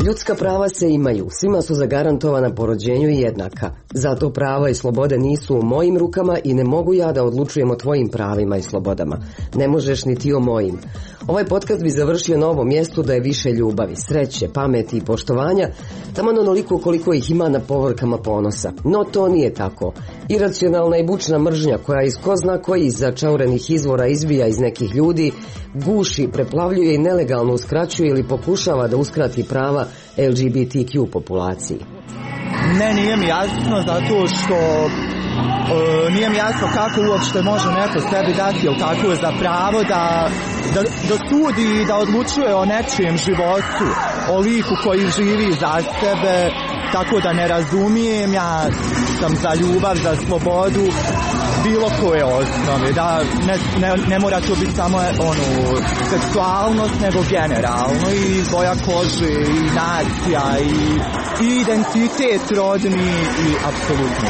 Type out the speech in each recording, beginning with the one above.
Ljudska prava se imaju, svima su zagarantovana po rođenju i jednaka. Zato prava i slobode nisu u mojim rukama i ne mogu ja da odlučujem o tvojim pravima i slobodama. Ne možeš ni ti o mojim. Ovaj podcast bi završio na ovom mjestu da je više ljubavi, sreće, pameti i poštovanja, taman onoliko koliko ih ima na povorkama ponosa. No to nije tako. Iracionalna i bučna mržnja koja iz ko zna kojih začaurenih izvora izbija iz nekih ljudi, guši, preplavljuje i nelegalno uskraćuje ili pokušava da uskrati prava LGBTQ populaciji. Ne, nije mi jasno zato što nije mi jasno kako uopšte može neko sebi dati ili kako je za pravo da sudi i da odlučuje o nečijem životu, o liku koji živi za sebe, tako da ne razumijem, ja sam za ljubav, za slobodu, bilo koje osnove, da ne mora to biti samo seksualnost, nego generalno i boja kože i nacija i identitet rodni i apsolutno.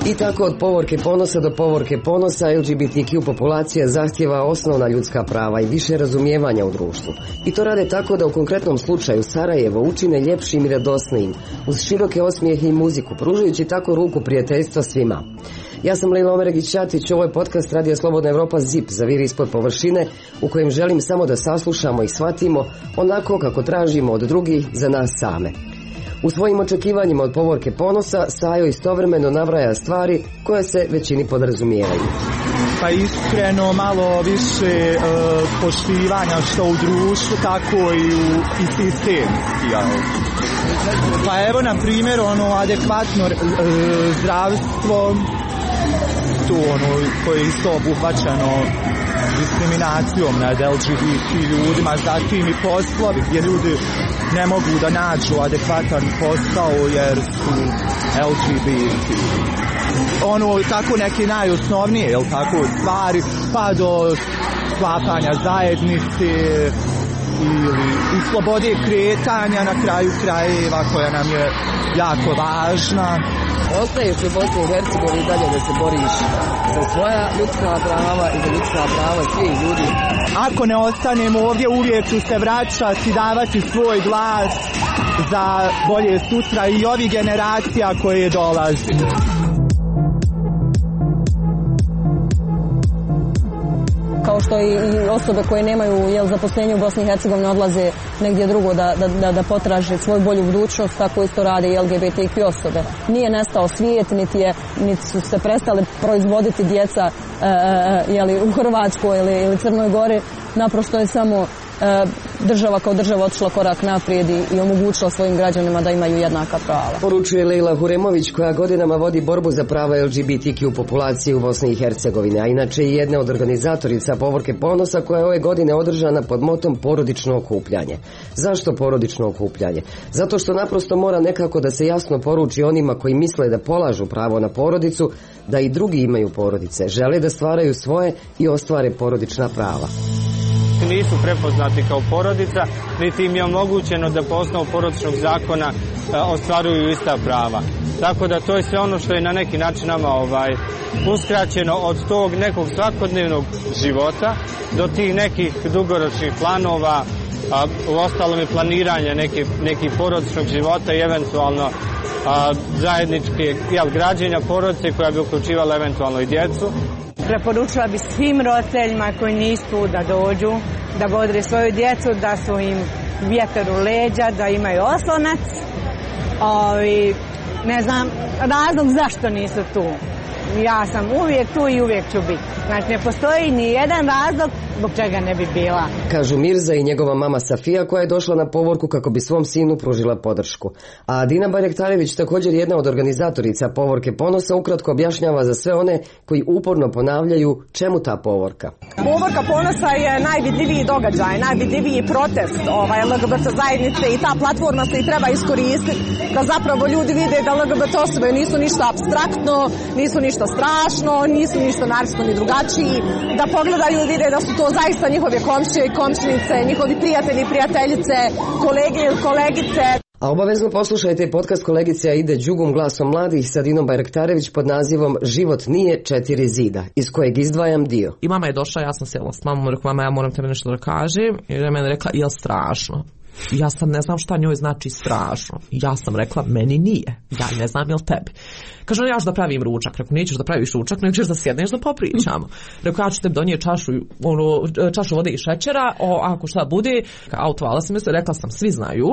I tako od povorke ponosa do povorke ponosa LGBTQ populacija zahtjeva osnovna ljudska prava i više razumijevanja u društvu. I to rade tako da u konkretnom slučaju Sarajevo učine ljepšim i radosnijim, uz široke osmijehe i muziku, pružajući tako ruku prijateljstva svima. Ja sam Lejla Omeregić-Ćatić, ovo je podcast Radija Slobodna Evropa ZIP, zaviri ispod površine, u kojem želim samo da saslušamo i shvatimo onako kako tražimo od drugih za nas same. U svojim očekivanjima od povorke ponosa Sajo istovremeno nabraja stvari koje se većini podrazumijevaju. Pa iskreno malo više poštivanja što u društvu, tako i sistemski. Pa evo na primjer adekvatno zdravstvo, to koje je isto obuhvaćeno diskriminacijom nad LGBT ljudima, zatim i poslovi gdje ljudi ne mogu da nađu adekvatan posao jer su LGBT. Tako neke najosnovnije, jel tako, stvari, pa do sklapanja zajednice i slobode kretanja na kraju krajeva koja nam je jako važna. Ostaješ u Bosni i Hercegovini dalje da se boriš za svoja ljudska prava i za ljudska prava svih ljudi. Ako ne ostanemo ovdje, uvijek ću se vraćati, davati svoj glas za bolje sutra i ovih generacija koje dolaze. Kao što i osobe koje nemaju zaposlenje u Bosni i Hercegovini odlaze negdje drugo da potraže svoju bolju budućnost, tako isto rade i LGBTQ osobe. Nije nestao svijet, niti su se prestali proizvoditi djeca u Hrvatskoj ili Crnoj Gori. Naprosto je samo država kao država otišla korak naprijed i omogućila svojim građanima da imaju jednaka prava. Poručuje Lejla Huremović, koja godinama vodi borbu za prava LGBTQ populacije u Bosni i Hercegovini, a inače je jedna od organizatorica povorke ponosa koja je ove godine održana pod motom porodično okupljanje. Zašto porodično okupljanje? Zato što naprosto mora nekako da se jasno poruči onima koji misle da polažu pravo na porodicu, da i drugi imaju porodice, žele da stvaraju svoje i ostvare porodična prava. Nisu prepoznati kao porodica, niti im je omogućeno da po osnovu porodičnog zakona ostvaruju ista prava. Tako da to je sve ono što je na neki način nama uskraćeno od tog nekog svakodnevnog života do tih nekih dugoročnih planova, u ostalom i planiranja nekih porodičnog života i eventualno zajedničke građenja porodice koja bi uključivala eventualno i djecu. Preporučila bi svim roditeljima koji nisu tu da dođu, da bodre svoju djecu, da su im vjetar u leđa, da imaju oslonac. Ne znam razlog zašto nisu tu. Ja sam uvijek tu i uvijek ću biti. Znači ne postoji ni jedan razlog zbog čega ne bi bila. Kažu Mirza i njegova mama Safija koja je došla na povorku kako bi svom sinu pružila podršku. A Dina Barjektarević, također jedna od organizatorica povorke ponosa, ukratko objašnjava za sve one koji uporno ponavljaju čemu ta povorka. Povorka ponosa je najvidljiviji događaj, najvidljiviji protest LGBT zajednice i ta platforma se i treba iskoristiti da zapravo ljudi vide da LGBT osobe nisu ništa apstraktno, nisu ništa strašno, nisu ništa naravno ni drugačiji, da pogledaju i vide da su to zaista njihove komšije i komšinice, njihovi prijatelji i prijateljice, kolege i kolegice. A obavezno poslušajte podcast kolegice Aide Đugum glasom mladih sa Dinom Bajraktarević pod nazivom Život nije 4 zida, iz kojeg izdvajam dio. I mama je došla, ja sam sjela s mamom, rekla, mama, ja moram tebe nešto da kažem. I ona je meni rekla, jel strašno? Ja sam ne znam šta njoj znači strašno. Ja sam rekla, meni nije. Ja ne znam jel tebi. Kaže, ja ću da pravim ručak. Rekao, nećeš da praviš ručak, nego ćeš da sjedneš da popričamo. Rekao, ja ću tebi donijeti čašu vode i šećera, ako šta bude. Autovala sam se, rekla sam, svi znaju.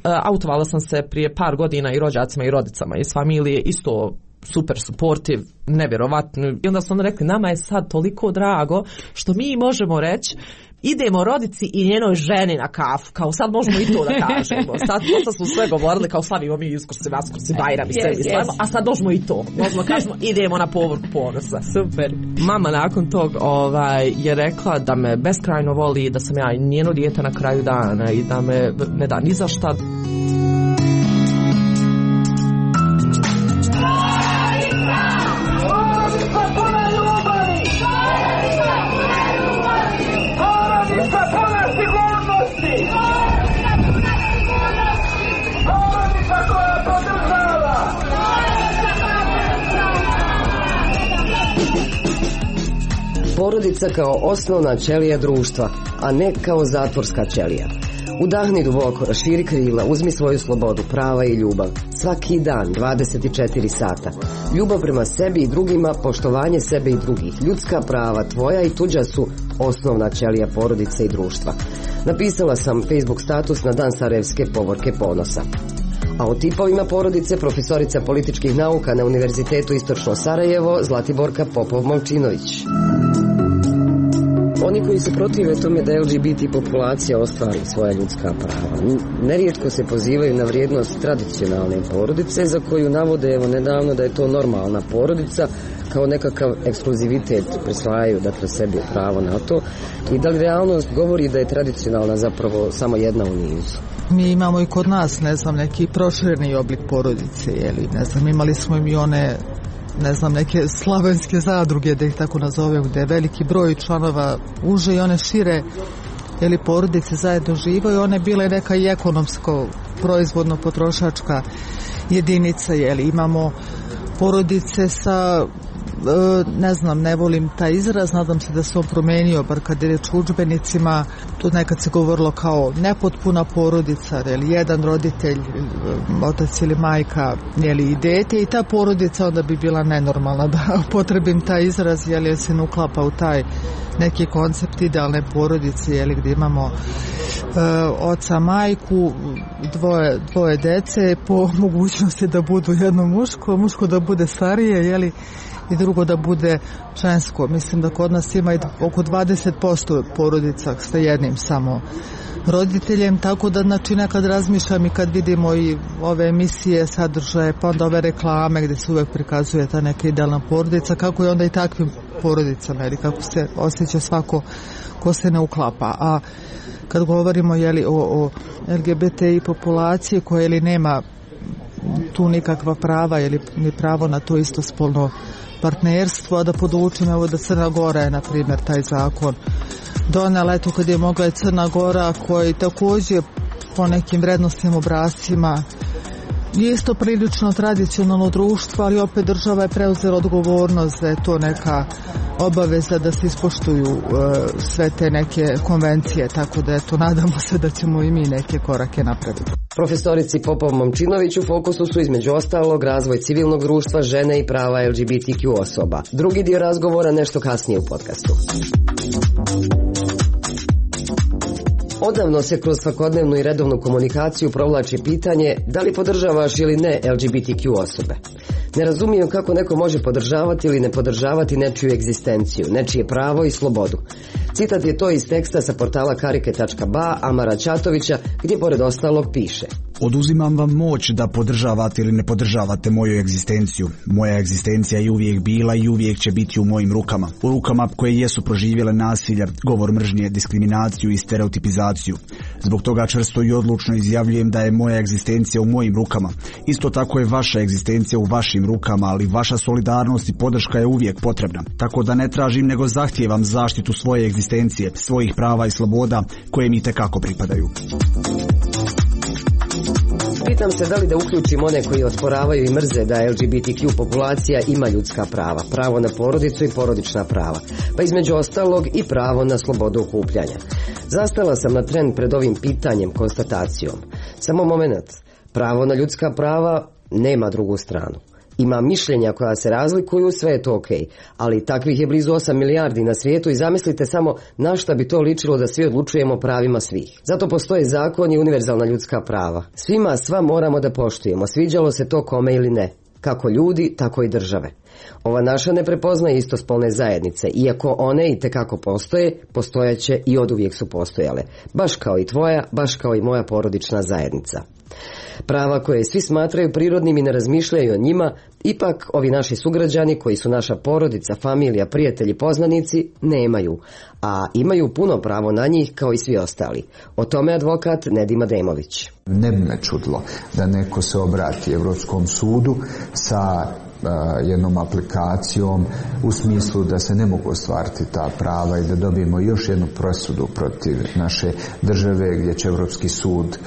Autovala sam se prije par godina i rođacima i rodicama iz familije, isto super supportive, nevjerovatno. I onda su oni rekli, nama je sad toliko drago što mi možemo reći, idemo rodici i njenoj ženi na kafu, kao sad možemo i to da kažemo. Sad smo sve govorili, kao slavimo mi Uskrsi, Vaskrsi, Bajram i sve mi slavimo, a sad možemo i to. Možemo kažemo, idemo na povorku ponosa. Super. Mama nakon tog je rekla da me beskrajno voli, da sam ja njeno dijete na kraju dana i da me ne da ni za šta. Porodica kao osnovna ćelija društva, a ne kao zatvorska ćelija. Udahni duboko, raširi krila, uzmi svoju slobodu, prava i ljubav. Svaki dan, 24 sata. Ljubav prema sebi i drugima, poštovanje sebe i drugih. Ljudska prava, tvoja i tuđa su osnovna ćelija porodice i društva. Napisala sam Facebook status na dan Sarajevske povorke ponosa. A o tipovima porodice profesorica političkih nauka na Univerzitetu Istočno Sarajevo Zlatiborka Popov-Momčinović. Oni koji se protive tome da LGBT populacija ostvari svoja ljudska prava, nerijetko se pozivaju na vrijednost tradicionalne porodice za koju navode evo nedavno da je to normalna porodica, kao nekakav ekskluzivitet prisvajaju dakle sebi pravo na to, i da li realnost govori da je tradicionalna zapravo samo jedna u nizu. Mi imamo i kod nas, ne znam, neki prošireni oblik porodice, jeli, ne znam, imali smo i one, ne znam, neke slavenske zadruge, da ih tako nazovem, gde je veliki broj članova uže i one šire, jeli, porodice zajedno živaju, one bile neka i ekonomsko, proizvodno potrošačka jedinica, jeli, imamo porodice sa, ne znam, ne volim taj izraz, nadam se da se on promenio, bar kad je reč o udžbenicima, tu nekad se govorilo kao nepotpuna porodica, ili jedan roditelj, otac ili majka, ili i dete, i ta porodica onda bi bila nenormalna, da potrebim taj izraz, jer se ne uklapa u taj neki koncept porodice, jeli, gdje imamo oca, majku, dvoje dece, po mogućnosti da budu jedno muško da bude starije, jeli, i drugo da bude žensko. Mislim da kod nas ima oko 20% porodica sa jednim samo roditeljem, tako da znači nekad razmišljam i kad vidimo i ove emisije, sadržaje, pa onda ove reklame gdje se uvek prikazuje ta neka idealna porodica, kako je onda i takvim porodicama, ili kako se osjeća svako ko se ne uklapa. A kad govorimo, jeli, o LGBTI populaciji koja ili nema tu nikakva prava ili ni pravo na to istospolno partnerstvo, a da podučim evo da Crna Gora je na primjer taj zakon donela, eto kad je mogla i Crna Gora, koji također po nekim vrednostnim obrascima je isto prilično tradicionalno društvo, ali opet država je preuzela odgovornost da je to neka obaveza da se ispoštuju sve te neke konvencije, tako da eto nadamo se da ćemo i mi neke korake napraviti. Profesorici Popov-Momčinović u fokusu su između ostalog razvoj civilnog društva, žene i prava LGBTQ osoba. Drugi dio razgovora nešto kasnije u podcastu. Odavno se kroz svakodnevnu i redovnu komunikaciju provlači pitanje da li podržavaš ili ne LGBTQ osobe. Ne razumijem kako neko može podržavati ili ne podržavati nečiju egzistenciju, nečije pravo i slobodu. Citat je to iz teksta sa portala karike.ba Amara Čatovića, gdje pored ostalog piše: Oduzimam vam moć da podržavate ili ne podržavate moju egzistenciju. Moja egzistencija je uvijek bila i uvijek će biti u mojim rukama. U rukama koje jesu proživjele nasilje, govor mržnje, diskriminaciju i stereotipizaciju. Zbog toga čvrsto i odlučno izjavljujem da je moja egzistencija u mojim rukama. Isto tako je vaša egzistencija u vašim rukama, ali vaša solidarnost i podrška je uvijek potrebna. Tako da ne tražim nego zahtijevam zaštitu svoje egzistencije, svojih prava i sloboda koje mi itekako pripadaju. Pitam se da li da uključim one koji osporavaju i mrze da LGBTQ populacija ima ljudska prava, pravo na porodicu i porodična prava, pa između ostalog i pravo na slobodu okupljanja. Zastala sam na tren pred ovim pitanjem, konstatacijom. Samo moment, pravo na ljudska prava nema drugu stranu. Ima mišljenja koja se razlikuju, sve je to okej, ali takvih je blizu 8 milijardi na svijetu i zamislite samo na šta bi to ličilo da svi odlučujemo o pravima svih. Zato postoje zakon i univerzalna ljudska prava. Svima sva moramo da poštujemo, sviđalo se to kome ili ne. Kako ljudi, tako i države. Ova naša ne prepoznaje istospolne zajednice, iako one i tekako postoje, postojaće i oduvijek su postojale. Baš kao i tvoja, baš kao i moja porodična zajednica. Prava koje svi smatraju prirodnim i ne razmišljaju o njima, ipak ovi naši sugrađani koji su naša porodica, familija, prijatelji, poznanici, nemaju, a imaju puno pravo na njih kao i svi ostali. O tome advokat Nedim Ademović. Ne bi me čudilo da neko se obrati Europskom sudu sa jednom aplikacijom u smislu da se ne mogu ostvariti ta prava i da dobijemo još jednu presudu protiv naše države gdje će Europski sud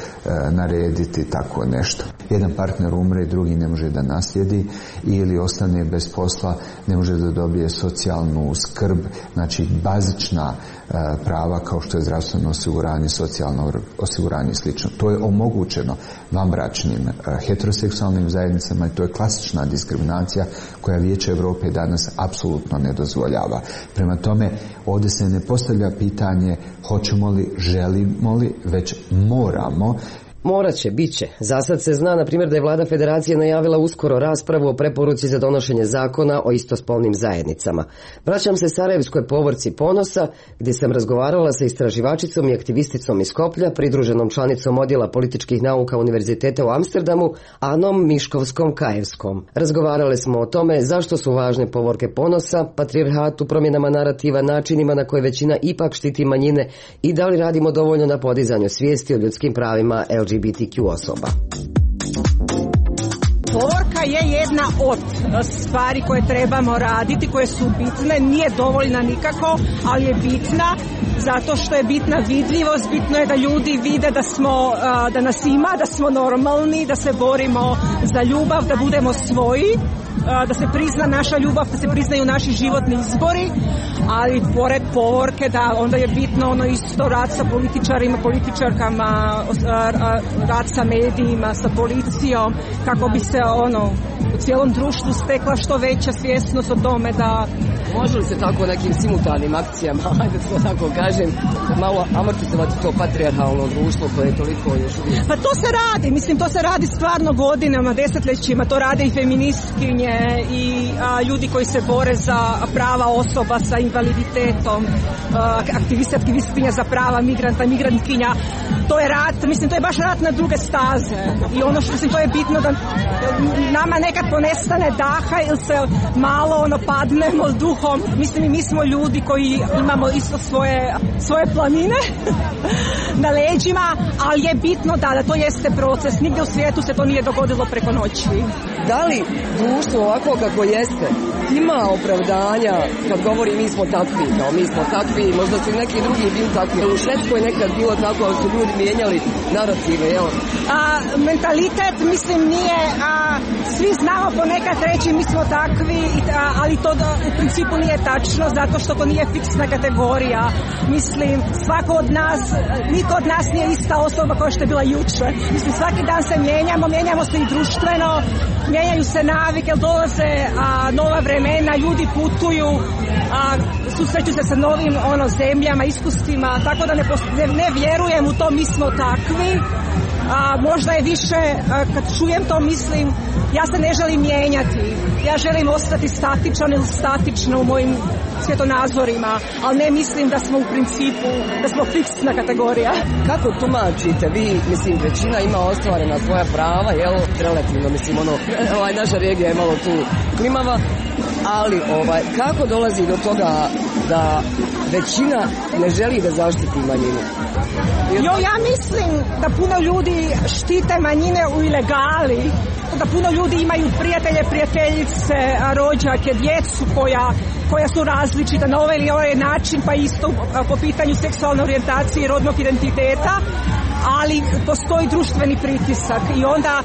narediti tako nešto. Jedan partner umre, drugi ne može da naslijedi ili ostane bez posla, ne može da dobije socijalnu skrb, znači bazična prava kao što je zdravstveno osiguranje, socijalno osiguranje i slično. To je omogućeno vanbračnim heteroseksualnim zajednicama i to je klasična diskriminacija koja Vijeće Europe danas apsolutno ne dozvoljava. Prema tome, ovdje se ne postavlja pitanje hoćemo li, želimo li, već moramo. Morat će, bit će. Zasad se zna, na primjer, da je vlada federacije najavila uskoro raspravu o preporuci za donošenje zakona o istospolnim zajednicama. Vraćam se Sarajevskoj povorci Ponosa, gdje sam razgovarala sa istraživačicom i aktivisticom iz Skoplja, pridruženom članicom odjela političkih nauka Univerziteta u Amsterdamu, Anom Miškovskom-Kajevskom. Razgovarale smo o tome zašto su važne povorke Ponosa, patrijarhatu, promjenama narativa, načinima na koje većina ipak štiti manjine i da li radimo dovoljno na podizanju svijesti o ljudskim pravima LGBTQ osoba. Povorka je jedna od stvari koje trebamo raditi, koje su bitne, nije dovoljna nikako, ali je bitna zato što je bitna vidljivost, bitno je da ljudi vide da nas ima, da smo normalni, da se borimo za ljubav, da budemo svoji, da se prizna naša ljubav, da se priznaju naši životni izbori, ali pored povorke da onda je bitno ono isto rad sa političarima, političarkama, rad sa medijima, sa policijom, kako bi se u cijelom društvu stekla što veća svjesnost o tome da... Može li se tako nekim simultanim akcijama, ajde to tako kažem, malo amortizovati to patrijarhalno društvo koje je toliko još uvijek? Pa to se radi, mislim to se radi stvarno godinama, desetljećima, to rade i feministkinje i ljudi koji se bore za prava osoba sa invaliditetom, aktivistkinja za prava migranta, migrantkinja. To je rat, mislim to je baš rat na druge staze i ono što mislim to je bitno da nama nekad ponestane daha ili se malo padnemo duhom. Mislim i mi smo ljudi koji imamo isto svoje planine na leđima, ali je bitno da to jeste proces. Nigdje u svijetu se to nije dogodilo preko noći. Da li društvo ovako kako jeste ima opravdanja kad govori mi smo takvi, možda su neki drugi bili takvi. U Švedskoj nekad bilo tako da su ljudi mijenjali narative, jel? Mentalitet, mislim, nije, svi znamo ponekad reći mi smo takvi, ali to u principu nije tačno, zato što to nije fiksna kategorija. Mislim, svako od nas, niko od nas nije ista osoba kao što je bila jučer. Mislim, svaki dan se mijenjamo se i društveno, mijenjaju se navike, dolaze nova vremena, ljudi putuju, susreću se sa novim zemljama, iskustvima, tako da ne vjerujem u to mi smo takvi. Možda je više, kad čujem to mislim, ja se ne želim mijenjati, ja želim ostati statičan ili statična u mojim svjetonazorima, ali ne mislim da smo u principu, da smo fiksna kategorija. Kako tumačite vi, mislim, većina ima ostvarena svoja prava, jel, relativno, mislim, naša regija je malo tu klimava, ali kako dolazi do toga da većina ne želi da zaštiti manjinu? Ja mislim da puno ljudi štite manjine u ilegali, da puno ljudi imaju prijatelje, prijateljice, rođake, djecu koja su različita na ovaj ili ovaj način, pa isto po pitanju seksualne orijentacije i rodnog identiteta. ali postoji društveni pritisak i onda,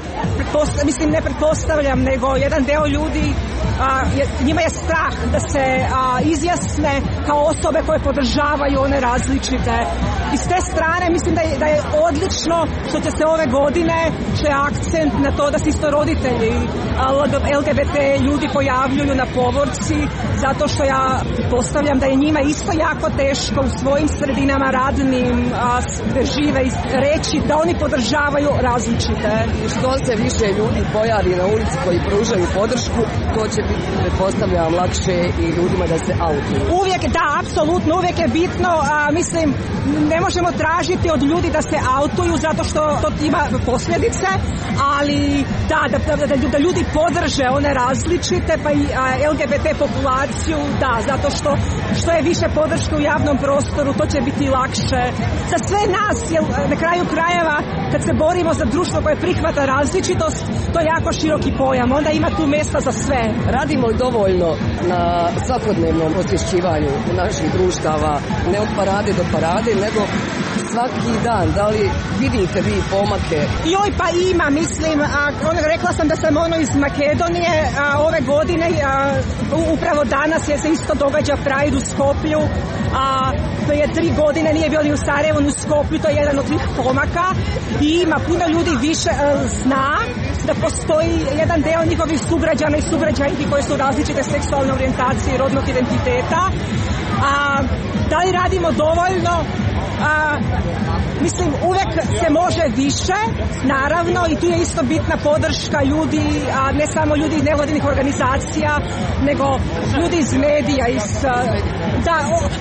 mislim ne pretpostavljam, nego jedan deo ljudi, njima je strah da se izjasne kao osobe koje podržavaju one različite. I s te strane mislim da je odlično što će se ove godine, što je akcent na to da se isto roditelji LGBT ljudi pojavljuju na povorci, zato što ja postavljam da je njima isto jako teško u svojim sredinama radnim gde žive reći da oni podržavaju različite. Što se više ljudi pojavi na ulici koji pružaju podršku, to će biti, pretpostavljam, lakše i ljudima da se autuju. Uvijek, da, apsolutno, uvijek je bitno, mislim, ne možemo tražiti od ljudi da se autuju zato što to ima posljedice, ali da ljudi podrže one različite, pa i LGBT populaciju, da, zato što je više podrške u javnom prostoru, to će biti lakše. Za sve nas, jer na kraju krajeva, kad se borimo za društvo koje prihvata različitost, to je jako široki pojam, onda ima tu mjesta za sve. Radimo li dovoljno na svakodnevnom osvješćivanju naših društava, ne od parade do parade, nego svaki dan? Da li vidite vi pomake? Joj, pa ima, mislim, rekla sam da sam iz Makedonije, ove godine, upravo danas se isto događa Pride u Skoplju, prije 3 godine nije bio ni u Sarajevu, ni u Skoplju, to je jedan od tih pomaka i ima puno ljudi više zna da postoji jedan deo njihovih sugrađana i sugrađanki koje su različite seksualne orijentacije i rodnog identiteta. Da li radimo dovoljno? Mislim, uvek se može više, naravno, i tu je isto bitna podrška ljudi, ne samo ljudi iz nevladinih organizacija, nego ljudi iz medija,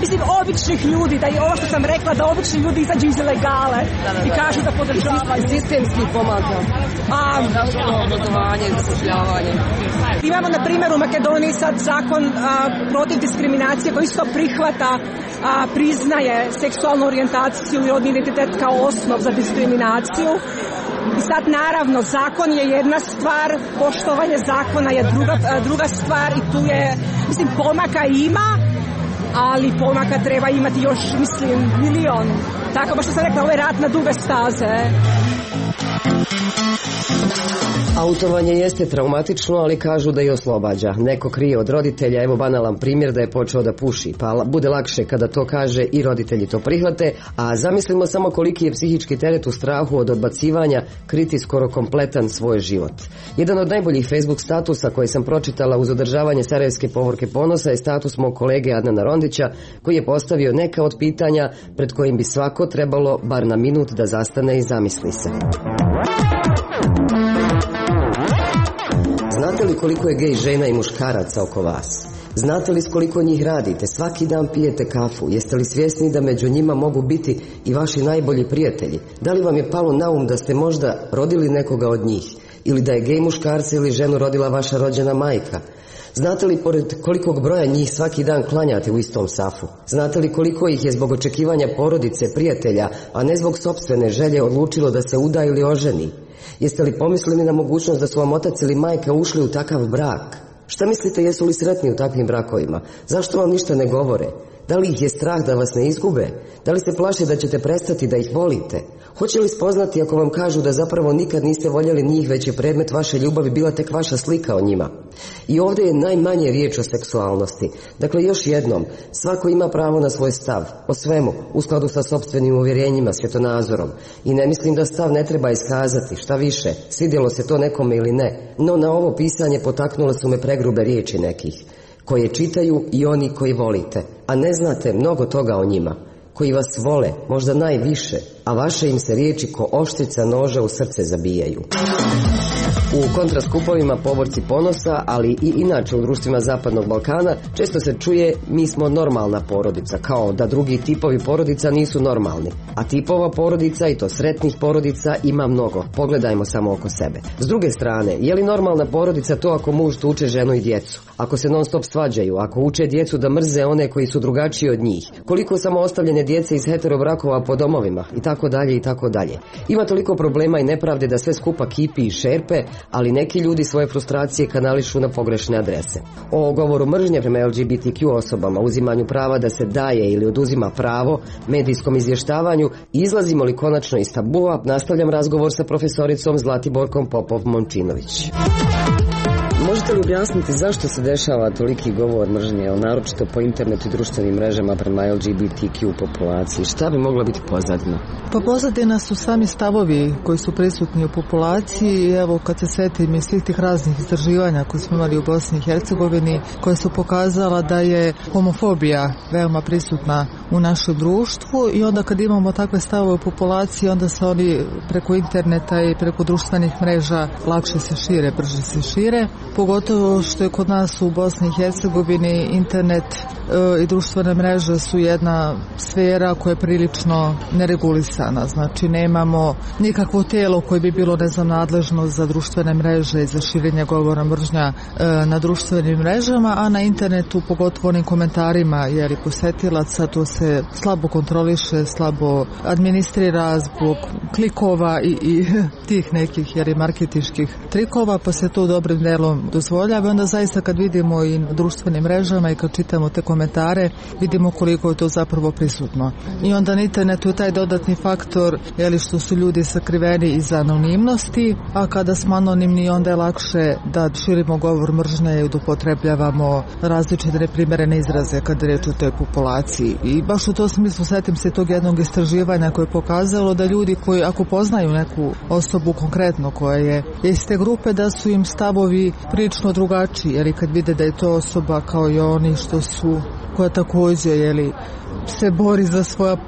mislim, običnih ljudi, da i ovo što sam rekla, da obični ljudi izađu iz ilegale i kažu da podržavaju. Sistemski pomaka. Obrazovanje, zapošljavanje. Imamo, na primjer, u Makedoniji sad zakon protiv diskriminacije koji isto prihvata, priznaje seksualnu orijentaciju i rodni identitet kao osnov za diskriminaciju. I sad, naravno, zakon je jedna stvar, poštovanje zakona je druga stvar i tu je, mislim, pomaka ima, ali pomaka treba imati još, mislim, milion. Tako, baš što sam rekla, ovo je rat na duge staze. Autovanje jeste traumatično, ali kažu da i oslobađa. Neko krije od roditelja, evo banalan primjer da je počeo da puši, pa bude lakše kada to kaže i roditelji to prihvate, a zamislimo samo koliki je psihički teret u strahu od odbacivanja kriti skoro kompletan svoj život. Jedan od najboljih Facebook statusa koje sam pročitala uz održavanje Sarajevske povorke ponosa je status mog kolege Adnana Rondića, koji je postavio neka od pitanja pred kojim bi svako trebalo bar na minut da zastane i zamisli se. Znate li koliko je gej žena i muškaraca oko vas? Znate li s koliko njih radite? Svaki dan pijete kafu. Jeste li svjesni da među njima mogu biti i vaši najbolji prijatelji? Da li vam je palo na um da ste možda rodili nekoga od njih? Ili da je gej muškarca ili ženu rodila vaša rođena majka? Znate li pored kolikog broja njih svaki dan klanjate u istom safu? Znate li koliko ih je zbog očekivanja porodice, prijatelja, a ne zbog sopstvene želje odlučilo da se uda ili oženi? Jeste li pomislili na mogućnost da su vam otac ili majka ušli u takav brak? Šta mislite, jesu li sretni u takvim brakovima? Zašto vam ništa ne govore? Da li ih je strah da vas ne izgube? Da li se plaše da ćete prestati da ih volite? Hoće li spoznati ako vam kažu da zapravo nikad niste voljeli njih, već je predmet vaše ljubavi bila tek vaša slika o njima? I ovdje je najmanje riječ o seksualnosti. Dakle, još jednom, svako ima pravo na svoj stav, o svemu, u skladu sa sopstvenim uvjerenjima, svjetonazorom. I ne mislim da stav ne treba iskazati, šta više, svidjelo se to nekome ili ne. No na ovo pisanje potaknule su me pregrube riječi nekih, koje čitaju i oni koji volite, a ne znate mnogo toga o njima, koji vas vole, možda najviše, a vaše im se riječi ko oštrica noža u srce zabijaju. U kontraskupovima Povorci ponosa, ali i inače u društvima Zapadnog Balkana, često se čuje mi smo normalna porodica, kao da drugi tipovi porodica nisu normalni. A tipova porodica, i to sretnih porodica, ima mnogo. Pogledajmo samo oko sebe. S druge strane, je li normalna porodica to ako muž tuče ženu i djecu? Ako se non stop svađaju, ako uče djecu da mrze one koji su drugačiji od njih? Koliko samo ostavljene djece iz hetero brakova po domovima? I tako dalje, i tako dalje. Ima toliko problema i nepravde da sve skupa kipi i šerpe, ali neki ljudi svoje frustracije kanališu na pogrešne adrese. O govoru mržnje prema LGBTQ osobama, uzimanju prava da se daje ili oduzima pravo, medijskom izvještavanju, izlazimo li konačno iz tabua, nastavljam razgovor sa profesoricom Zlatiborkom Popov-Momčinović. Možete li objasniti zašto se dešava toliki govor mržnje, naročito po internetu i društvenim mrežama prema LGBTQ populaciji? Šta bi mogla biti pozadina? Pa pozadina su sami stavovi koji su prisutni u populaciji. Evo, kad se setim iz svih tih raznih istraživanja koje smo imali u Bosni i Hercegovini, koje su pokazala da je homofobija veoma prisutna u našem društvu, i onda kad imamo takve stavove u populaciji, onda se oni preko interneta i preko društvenih mreža lakše se šire, brže se šire. Pogotovo što je kod nas u Bosni i Hercegovini internet i društvene mreže su jedna sfera koja je prilično neregulisana. Znači nemamo nikakvo tijelo koje bi bilo nadležno za društvene mreže i za širenje govora mržnja na društvenim mrežama, a na internetu, pogotovo onim komentarima posetilaca, to se slabo kontroliše, slabo administrira zbog klikova i tih nekih marketinških trikova, pa se to dobrim delom dozvoljava. Onda zaista kad vidimo i na društvenim mrežama i kad čitamo te komentare, vidimo koliko je to zapravo prisutno. I onda na internetu je taj dodatni faktor što su ljudi sakriveni iza anonimnosti, a kada smo anonimni onda je lakše da širimo govor mržnje i da upotrebljavamo različite neprimerene izraze kada je reč o toj populaciji. I baš u tom smislu setim se tog jednog istraživanja koje je pokazalo da ljudi koji ako poznaju neku osobu konkretno koja je iz te grupe, da su im stavovi prilično drugačiji, jer kad vide da je to osoba kao i oni koja također se bori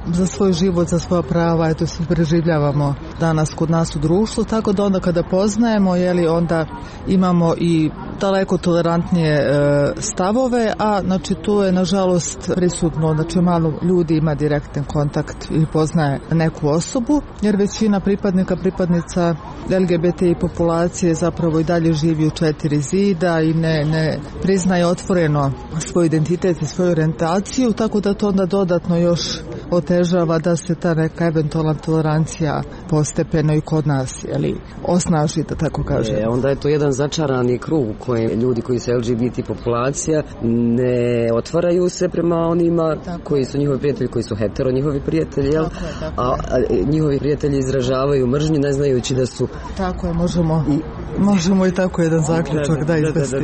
za svoj život, za svoja prava, to se preživljavamo danas kod nas u društvu, tako da onda kada poznajemo, onda imamo i daleko tolerantnije stavove, a tu je nažalost prisutno, malo ljudi ima direktan kontakt i poznaje neku osobu, jer većina pripadnica LGBTI populacije zapravo i dalje živi u 4 zida i ne priznaje otvoreno svoj identitet i svoju orijentaciju, tako da to onda dodatno još otežava da se ta neka eventualna tolerancija postepeno i kod nas osnaži, da tako kažem. Onda je to jedan začarani krug u kojem ljudi koji su LGBT populacija ne otvaraju se prema onima koji su njihovi prijatelji, koji su hetero njihovi prijatelji, a njihovi prijatelji izražavaju mržnju ne znajući da su... Tako je, možemo i tako jedan zaključak da izvesti.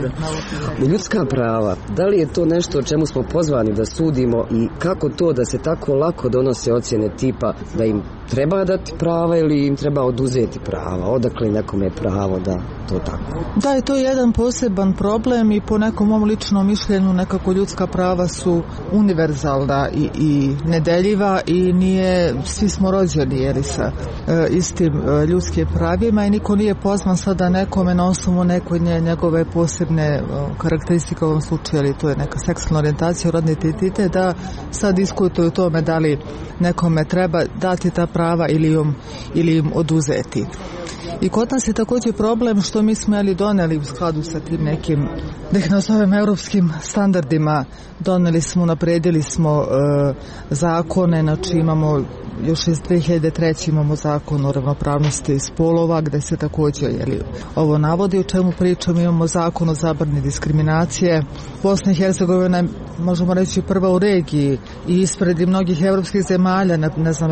Ljudska prava, da li je to nešto o čemu smo pozvani da sudimo i kako to da se tako lako donose ocjene tipa da im treba dati prava ili im treba oduzeti prava? Odakle nekome je pravo da to tako? Da, je to jedan poseban problem i po nekom mom ličnom mišljenju nekako ljudska prava su univerzalna i nedeljiva i svi smo rođeni sa istim ljudskim pravima i niko nije pozvan sada nekome na osnovu neke njegove posebne karakteristike, u ovom slučaju, to je neka seksualna orijentacija, rodni identitet, da sad diskutuju o tome da li nekome treba dati ta prava ili im oduzeti. I kod nas je također problem što mi smo doneli u skladu sa tim nekim, da ih nazovem, europskim standardima, napredili smo zakone, imamo još iz 2003. imamo zakon o ravnopravnosti spolova gde se također ovo navodi, o čemu pričam. Imamo zakon o zabrani diskriminacije. Bosna i Hercegovina je, možemo reći, prva u regiji i ispred mnogih evropskih zemalja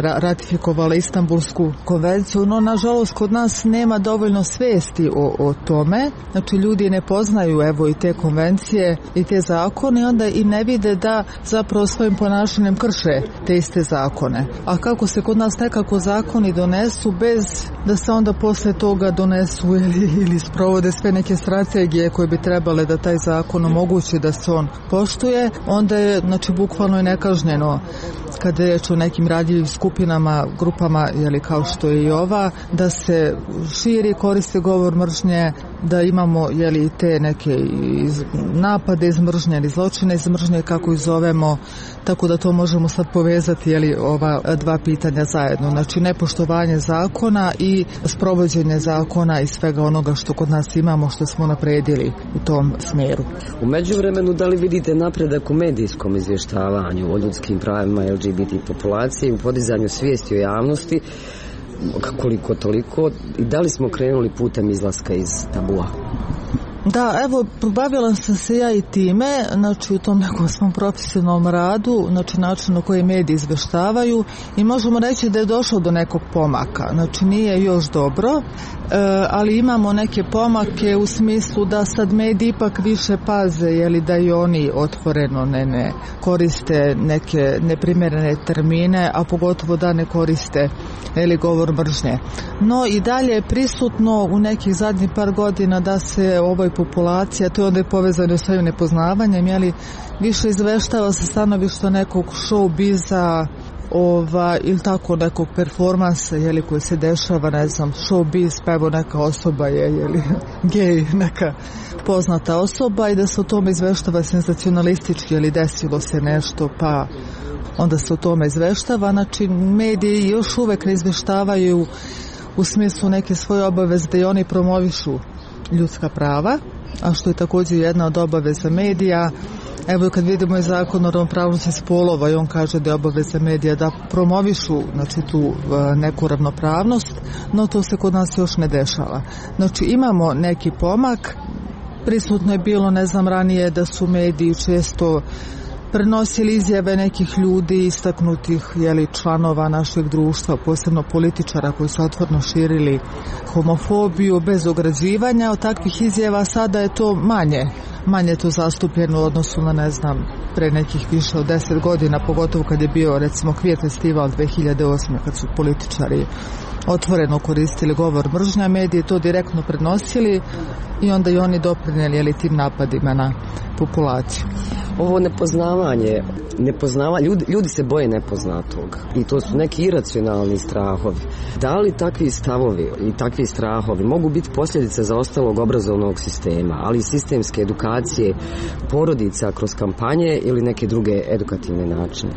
ratifikovala Istanbulsku konvenciju, no nažalost kod nas nema dovoljno svesti o tome. Ljudi ne poznaju i te konvencije i te zakone, onda i ne vide da zapravo svojim ponašanjem krše te iste zakone. A kako se kod nas nekako zakoni donesu bez da se onda posle toga donesu ili sprovode sve neke strategije koje bi trebale da taj zakon omogući da se on poštuje, onda je bukvalno i nekažnjeno kada je o nekim radljivim skupinama, grupama, kao što je i ova, da se širi, koriste govor mržnje, da imamo te neke napade iz mržnje ili zločine iz mržnje, kako ih zovemo, tako da to možemo sad povezati ova dva pitanja zajedno. Nepoštovanje zakona i sprovođenje zakona i svega onoga što kod nas imamo, što smo napredili u tom smjeru. U međuvremenu, da li vidite napredak u medijskom izvještavanju o ljudskim pravima LGBT populacije, u podizanju svijesti o javnosti koliko toliko, i da li smo krenuli putem izlaska iz tabua? Da, evo, bavila sam se ja i time, znači u tom nekom svom profesionalnom radu, znači način na koji mediji izveštavaju, i možemo reći da je došlo do nekog pomaka, znači nije još dobro, ali imamo neke pomake u smislu da sad mediji ipak više paze, jeli, da i oni otvoreno ne koriste neke neprimjerene termine, a pogotovo da ne koriste govor mržnje. No i dalje je prisutno u nekih zadnjih par godina da se ovoj populacija, to je onda i povezano s ovim nepoznavanjem, jeli, više izveštava sa stanovišta nekog showbiza, ili tako nekog performansa, jeli, koji se dešava, ne znam, showbiz, pa evo neka osoba je, jeli, gej, neka poznata osoba, i da se o tome izveštava senzacionalistički, jeli, desilo se nešto, pa onda se o tome izveštava. Znači, mediji još uvek ne izveštavaju u smislu neke svoje obaveze da i oni promovišu ljudska prava, a što je također jedna od obaveza medija. Evo, kad vidimo i zakon o ravnopravnosti spolova, i on kaže da je obaveza medija da promovišu, znači, tu neku ravnopravnost, no to se kod nas još ne dešava. Znači, imamo neki pomak. Prisutno je bilo, ne znam, ranije da su mediji često prenosili izjave nekih ljudi, istaknutih, jeli, članova našeg društva, posebno političara koji su otvoreno širili homofobiju bez ograđivanja. Od takvih izjava sada je to manje to zastupljeno u odnosu na, ne znam, pre nekih više od 10 godina, pogotovo kad je bio, recimo, Queer festival 2008. kad su političari otvoreno koristili govor mržnja, mediji to direktno prenosili i onda i oni doprinijeli, jeli, tim napadima na populaciju. Ovo nepoznavanje, ljudi se boje nepoznatog i to su neki iracionalni strahovi. Da li takvi stavovi i takvi strahovi mogu biti posljedice zaostalog obrazovnog sistema, ali i sistemske edukacije porodica kroz kampanje ili neke druge edukativne načine?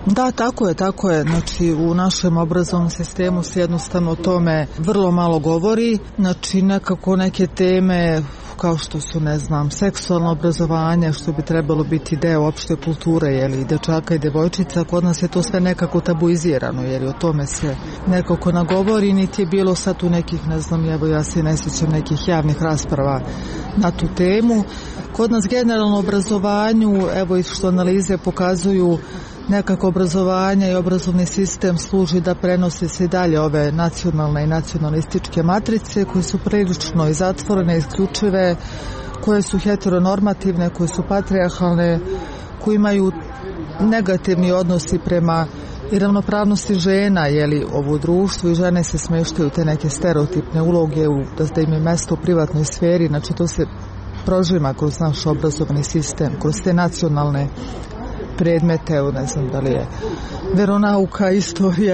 Da, tako je. Znači, u našem obrazovnom sistemu se jednostavno o tome vrlo malo govori. Znači, nekako neke teme kao što su, ne znam, seksualno obrazovanje, što bi trebalo biti deo opšte kulture, jeli, dečaka i devojčica, kod nas je to sve nekako tabuizirano, jer o tome se nekako nagovori, niti je bilo sad u nekih, ne znam, evo ja se ne sjećam nekih javnih rasprava na tu temu. Kod nas generalno obrazovanju, evo i što analize pokazuju, nekako obrazovanje i obrazovni sistem služi da prenosi se i dalje ove nacionalne i nacionalističke matrice koje su prilično i zatvorene, isključive, koje su heteronormativne, koje su patrijarhalne, koje imaju negativni odnosi prema i ravnopravnosti žena, jeli, u društvu, i žene se smeštaju te neke stereotipne uloge da im je mesto u privatnoj sferi. Znači, to se prožima kroz naš obrazovni sistem, kroz te nacionalne predmete, ne znam da li je veronauka,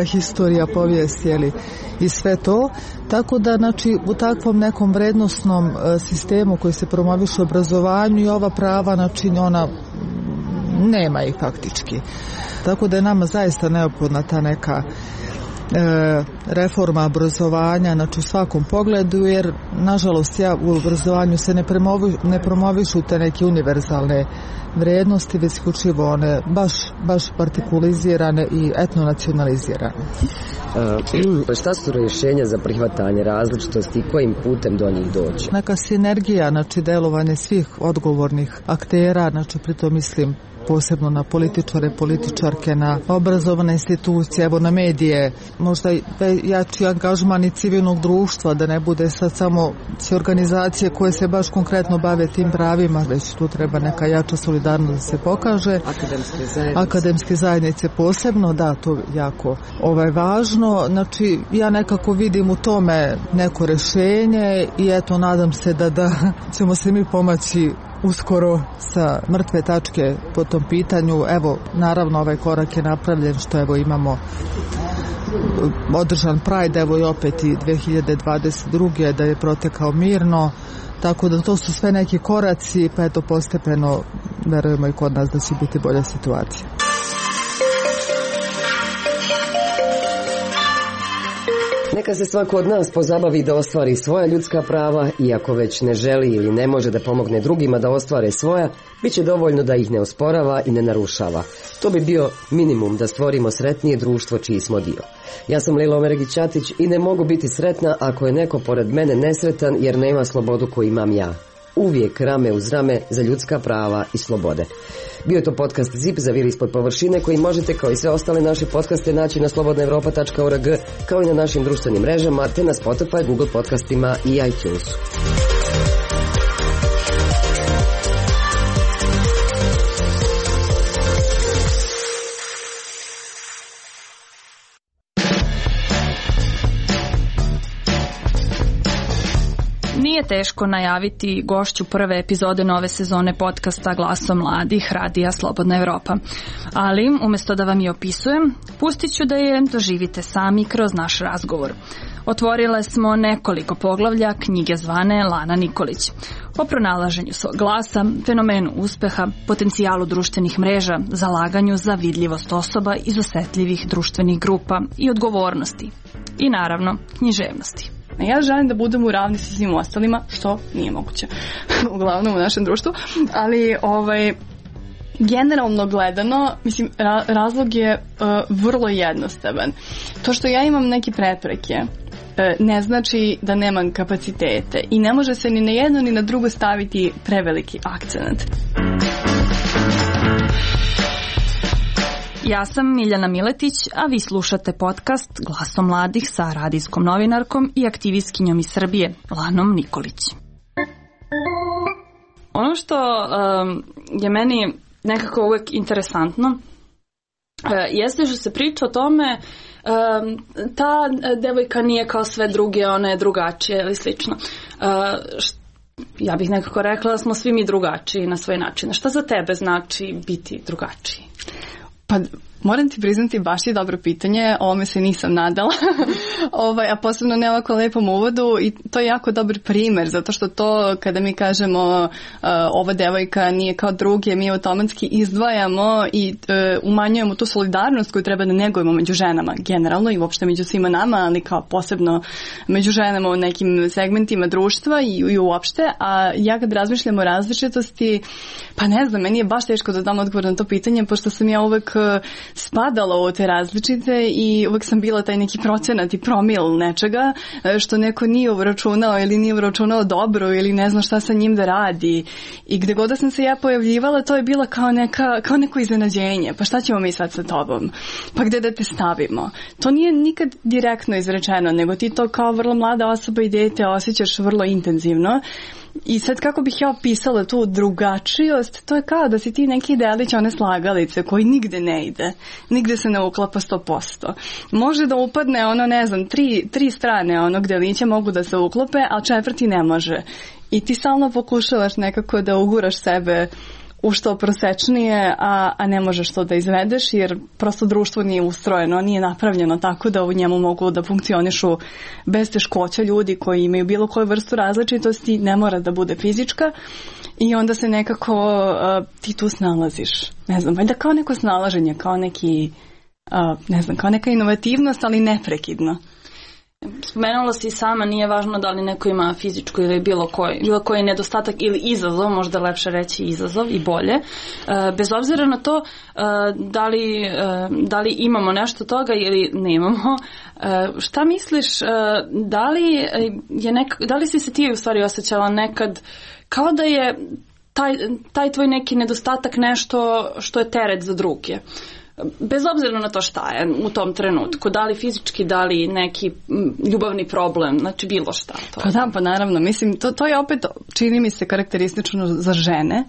historija, povijest, jeli, i sve to. Tako da, znači, u takvom nekom vrednosnom sistemu koji se promoviše u obrazovanju, i ova prava, znači, ona nema ih faktički. Tako da je nama zaista neophodna ta neka reforma obrazovanja, znači u svakom pogledu, jer nažalost u obrazovanju se ne promovišu te neke univerzalne vrednosti, već isključivo one baš partikulizirane i etnonacionalizirane. Šta su rješenja za prihvatanje različitosti i kojim putem do njih doći? Neka sinergija, znači delovanje svih odgovornih aktera, znači pritom mislim posebno na političare, političarke, na obrazovane institucije, evo na medije, možda jači angažman i civilnog društva, da ne bude sad samo sve organizacije koje se baš konkretno bave tim pravima, već tu treba neka jača solidarnost da se pokaže. Akademske zajednice posebno, da, to jako važno. Znači, ja nekako vidim u tome neko rješenje i eto, nadam se da ćemo se mi pomaći uskoro sa mrtve tačke po tom pitanju. Evo, naravno, ovaj korak je napravljen što evo imamo održan Pride, evo i opet i 2022. da je protekao mirno, tako da to su sve neki koraci, pa eto postepeno verujemo i kod nas da će biti bolja situacija. Neka se svako od nas pozabavi da ostvari svoja ljudska prava i ako već ne želi ili ne može da pomogne drugima da ostvare svoja, bit će dovoljno da ih ne osporava i ne narušava. To bi bio minimum da stvorimo sretnije društvo čiji smo dio. Ja sam Lila Omeregić-Ćatić i ne mogu biti sretna ako je neko pored mene nesretan jer nema slobodu koju imam ja. Uvijek rame uz rame za ljudska prava i slobode. Bio je to podcast ZIP za vir ispod površine koji možete kao i sve ostale naše podcaste naći na slobodnaevropa.org kao i na našim društvenim mrežama te na Spotify, Google podcastima i iTunesu. Nije teško najaviti gošću prve epizode nove sezone podcasta Glasom mladih Radija Slobodna Evropa. Ali, umjesto da vam je opisujem, pustit ću da je doživite sami kroz naš razgovor. Otvorile smo nekoliko poglavlja knjige zvane Lana Nikolić. O pronalaženju svog glasa, fenomenu uspeha, potencijalu društvenih mreža, zalaganju za vidljivost osoba iz osetljivih društvenih grupa i odgovornosti. I naravno, književnosti. Ja želim da budem u ravni sa svim ostalima, što nije moguće, uglavnom u našem društvu, ali generalno gledano, mislim, razlog je vrlo jednostavan. To što ja imam neke prepreke ne znači da nemam kapacitete i ne može se ni na jedno ni na drugo staviti preveliki akcent. Ja sam Miljana Miletić, a vi slušate podcast Glasom mladih sa radijskom novinarkom i aktivistkinjom iz Srbije, Lanom Nikolić. Ono što je meni nekako uvek interesantno jeste što se priča o tome ta devojka nije kao sve druge, ona je drugačija ili slično. Ja bih nekako rekla da smo svi mi drugačiji na svoj način. Šta za tebe znači biti drugačiji? Pa moram ti priznati, baš je dobro pitanje, ovome se nisam nadala, a posebno ne ovako lepom uvodu i to je jako dobar primer, zato što to kada mi kažemo ova devojka nije kao druge, mi automatski izdvajamo i umanjujemo tu solidarnost koju treba da negujemo među ženama generalno i uopšte među svima nama, ali kao posebno među ženama u nekim segmentima društva i uopšte, a ja kad razmišljam o različitosti, pa ne znam, meni je baš teško da dam odgovor na to pitanje, pošto sam ja uvek spadala u te različite i uvek sam bila taj neki procenat i promil nečega što neko nije uračunao ili nije uračunao dobro ili ne zna šta sa njim da radi i gde god da sam se ja pojavljivala to je bila kao neko iznenađenje, pa šta ćemo mi sad sa tobom, pa gde da te stavimo. To nije nikad direktno izrečeno, nego ti to kao vrlo mlada osoba i dete osjećaš vrlo intenzivno. I sad kako bih ja opisala tu drugačijost, to je kao da si ti neki delić one slagalice koji nigde ne ide, nigde se ne uklapa 100%. Može da upadne ono, ne znam, tri strane onog delića mogu da se uklope, a četvrti ne može. I ti stalno pokušavaš nekako da uguraš sebe u što prosečnije, a ne možeš to da izvedeš jer prosto društvo nije ustrojeno, nije napravljeno tako da u njemu mogu da funkcionišu bez teškoća ljudi koji imaju bilo koju vrstu različitosti, ne mora da bude fizička i onda se nekako ti tu snalaziš. Ne znam, valjda kao neko snalaženje, kao neki, ne znam, kao neka inovativnost, ali neprekidno. Spomenula si sama, nije važno da li neko ima fizičku ili bilo koji nedostatak ili izazov, možda lepše reći izazov i bolje. Bez obzira na to da li imamo nešto toga ili nemamo, šta misliš, da li si se ti u stvari osjećala nekad kao da je taj tvoj neki nedostatak nešto što je teret za druge? Bez obzira na to šta je u tom trenutku, da li fizički, da li neki ljubavni problem, znači bilo šta. Pa naravno, mislim, to je opet, čini mi se karakteristično za žene,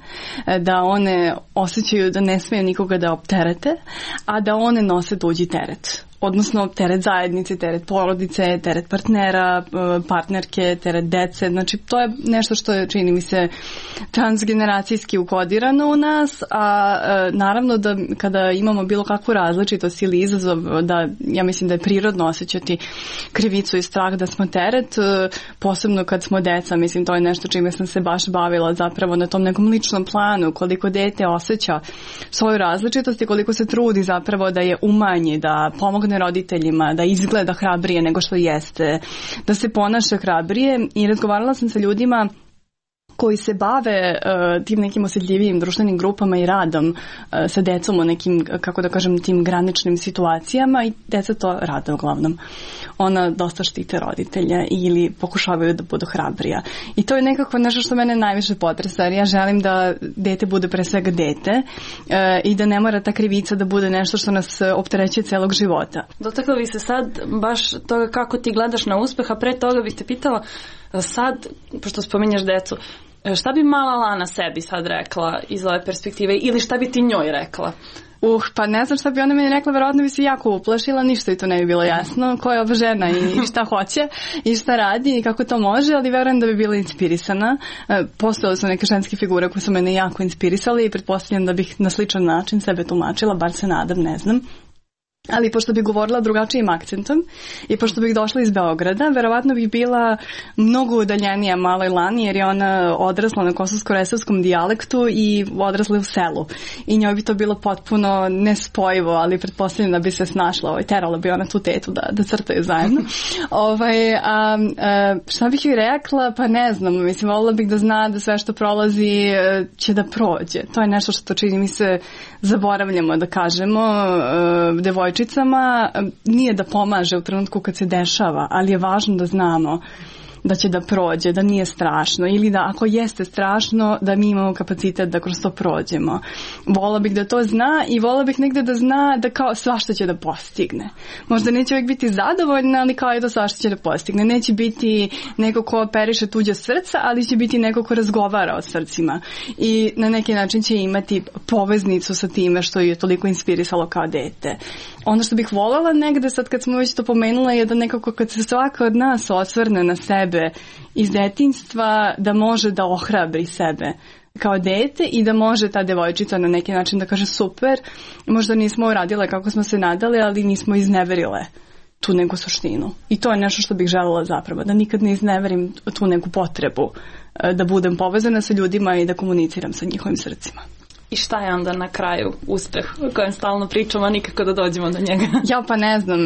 da one osjećaju da ne smiju nikoga da opterete, a da one nose tuđi teret. Odnosno teret zajednice, teret porodice, teret partnera, partnerke, teret dece. Znači to je nešto što je, čini mi se, transgeneracijski ukodirano u nas, a naravno da kada imamo bilo kakvu različitost ili izazov, da ja mislim da je prirodno osjećati krivicu i strah da smo teret, posebno kad smo deca, mislim to je nešto čime sam se baš bavila zapravo na tom nekom ličnom planu, koliko dete osjeća svoju različitost i koliko se trudi zapravo da je umanji, da pomogne pomogne roditeljima, da izgleda hrabrije nego što jeste, da se ponaša hrabrije. I razgovarala sam sa ljudima koji se bave tim nekim osjetljivijim društvenim grupama i radom sa decom u nekim, kako da kažem, tim graničnim situacijama, i deca to rade uglavnom. Ona dosta štite roditelja ili pokušavaju da budu hrabrija. I to je nekako nešto što mene najviše potresa, jer ja želim da dete bude pre svega dete i da ne mora ta krivica da bude nešto što nas opterećuje celog života. Dotakla bi se sad baš toga kako ti gledaš na uspeh, a pre toga bih te pitala sad, pošto spominješ decu, šta bi mala Lana sebi sad rekla iz ove perspektive ili šta bi ti njoj rekla? Pa ne znam šta bi ona meni rekla, verovatno bi se jako uplašila, ništa i to ne bi bilo jasno ko je ova žena i šta hoće i šta radi i kako to može, ali verujem da bi bila inspirisana. Postojale su neke ženske figure koje su mene jako inspirisale i pretpostavljam da bih na sličan način sebe tumačila, bar se nadam, ne znam. Ali pošto bih govorila drugačijim akcentom i pošto bih došla iz Beograda, verovatno bih bila mnogo udaljenija maloj Lani, jer je ona odrasla na kosovsko-resavskom dijalektu i odrasla u selu. I njoj bi to bilo potpuno nespojivo, ali pretpostavljam da bi se snašla. Terala bi ona tu tetu da crtaju zajedno. Šta bih joj rekla? Pa ne znam. Mislim, volila bih da zna da sve što prolazi će da prođe. To je nešto što čini mi se zaboravljamo da kažemo devojčicama. Nije da pomaže u trenutku kad se dešava, ali je važno da znamo da će da prođe, da nije strašno, ili da ako jeste strašno, da mi imamo kapacitet da kroz to prođemo. Vola bih da to zna i vola bih negde da zna da kao svašta će da postigne. Možda neće uvijek biti zadovoljna, ali kao je da svašta će da postigne. Neće biti neko ko operiše tuđa srca, ali će biti neko ko razgovara o srcima. I na neki način će imati poveznicu sa time što je toliko inspirisalo kao dete. Ono što bih voljela negde, sad kad smo već to pomenula, je da nekako kad se svaka od nas osvrne na sebe iz detinjstva, da može da ohrabri sebe kao dete i da može ta devojčica na neki način da kaže super, možda nismo uradile kako smo se nadali, ali nismo izneverile tu neku suštinu. I to je nešto što bih želela zapravo, da nikad ne izneverim tu neku potrebu da budem povezana sa ljudima i da komuniciram sa njihovim srcima. I šta je onda na kraju uspeh o kojem stalno pričamo, a nikako da dođemo do njega? Ja pa ne znam.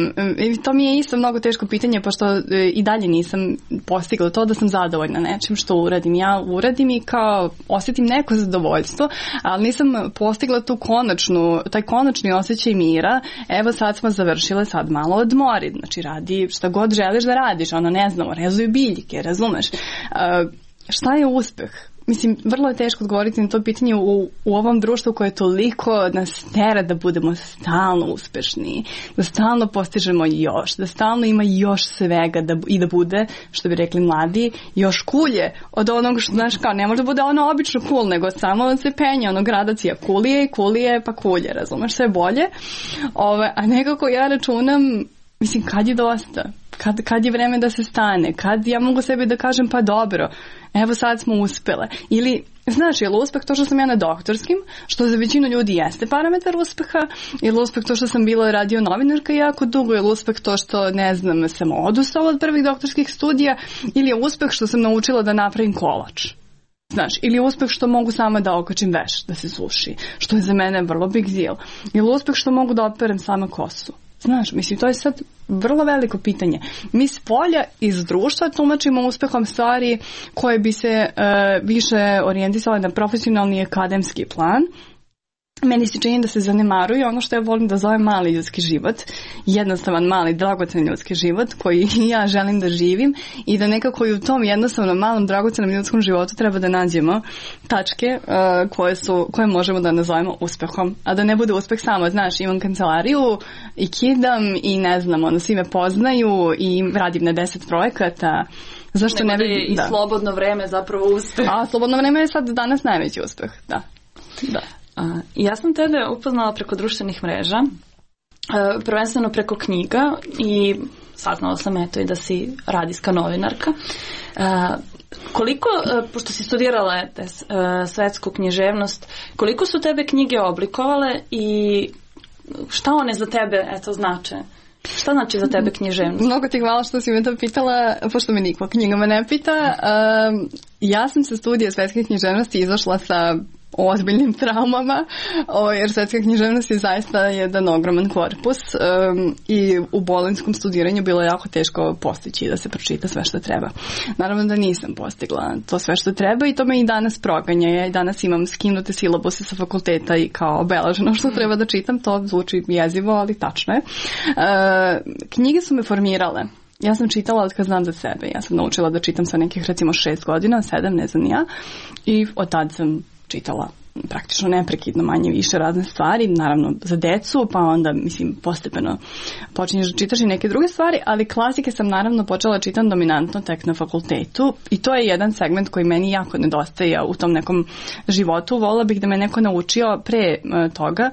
To mi je isto mnogo teško pitanje, pošto i dalje nisam postigla to da sam zadovoljna nečim što uradim. Ja uradim i kao osjetim neko zadovoljstvo, ali nisam postigla taj konačni osjećaj mira. Evo sad smo završile, sad malo odmori. Znači radi šta god želiš da radiš. Ono ne znamo, rezuju biljke, razumeš? Šta je uspeh? Mislim, vrlo je teško odgovoriti na to pitanje u ovom društvu koje toliko nas tera da budemo stalno uspešni, da stalno postižemo još, da stalno ima još svega i da bude, što bi rekli mladi, još kulje od onog što, znaš, kao ne može da bude ono obično cool, nego samo se penje, ono gradacija kulije, pa kulje, razumeš, sve bolje. A nekako ja računam, mislim, kad je dosta? Kad je vreme da se stane? Kad ja mogu sebi da kažem pa dobro, evo sad smo uspele? Ili, znaš, je li uspeh to što sam ja na doktorskim, što za većinu ljudi jeste parametar uspeha, je li uspeh to što sam bila radio novinarka jako dugo, je li uspeh to što, ne znam, sam odustala od prvih doktorskih studija, ili je uspeh što sam naučila da napravim kolač? Znaš, ili je uspeh što mogu sama da okačim veš, da se suši, što je za mene vrlo big deal. Ili uspeh što mogu da operem sama kosu? Znaš, mislim, to je sad vrlo veliko pitanje. Mi s polja iz društva tumačimo uspehom stvari koje bi se više orijentisale na profesionalni i akademski plan. Meni se čini da se zanemaruje ono što ja volim da zovem mali ljudski život, jednostavan, mali, dragocean ljudski život koji ja želim da živim i da nekako i u tom jednostavnom, malom, dragocenom ljudskom životu treba da nađemo tačke koje možemo da nazovemo uspehom. A da ne bude uspeh samo, znaš, imam kancelariju i kidam i ne znam, svi me poznaju i radim na 10 projekata. Zašto ne bi... I slobodno vreme zapravo uspeh. A slobodno vreme je sad danas najveći uspeh, da. Ja sam tebe upoznala preko društvenih mreža, prvenstveno preko knjiga i saznala sam eto i da si radijska novinarka. Koliko, pošto si studirala svetsku književnost, koliko su tebe knjige oblikovale i šta one za tebe znače? Šta znači za tebe književnost? Mnogo ti hvala što si me to pitala, pošto me niko knjigama ne pita. Ja sam sa studija svetske književnosti izašla sa o ozbiljnim traumama, jer svetska književnost je zaista jedan ogroman korpus i u bolonjskom studiranju bilo je jako teško postići da se pročita sve što treba. Naravno da nisam postigla to sve što treba i to me i danas proganja. Ja i danas imam skinute silabuse sa fakulteta i kao obeleženo što treba da čitam, to zvuči jezivo, ali tačno je. Knjige su me formirale. Ja sam čitala od kad znam za sebe. Ja sam naučila da čitam sa nekih recimo 6 godina, 7, ne znam ja. I od tad sam čitala praktično neprekidno manje više razne stvari, naravno za decu, pa onda mislim postepeno počinješ da čitaš i neke druge stvari, ali klasike sam naravno počela čitam dominantno tek na fakultetu i to je jedan segment koji meni jako nedostaje u tom nekom životu. Volila bih da me neko naučio pre toga.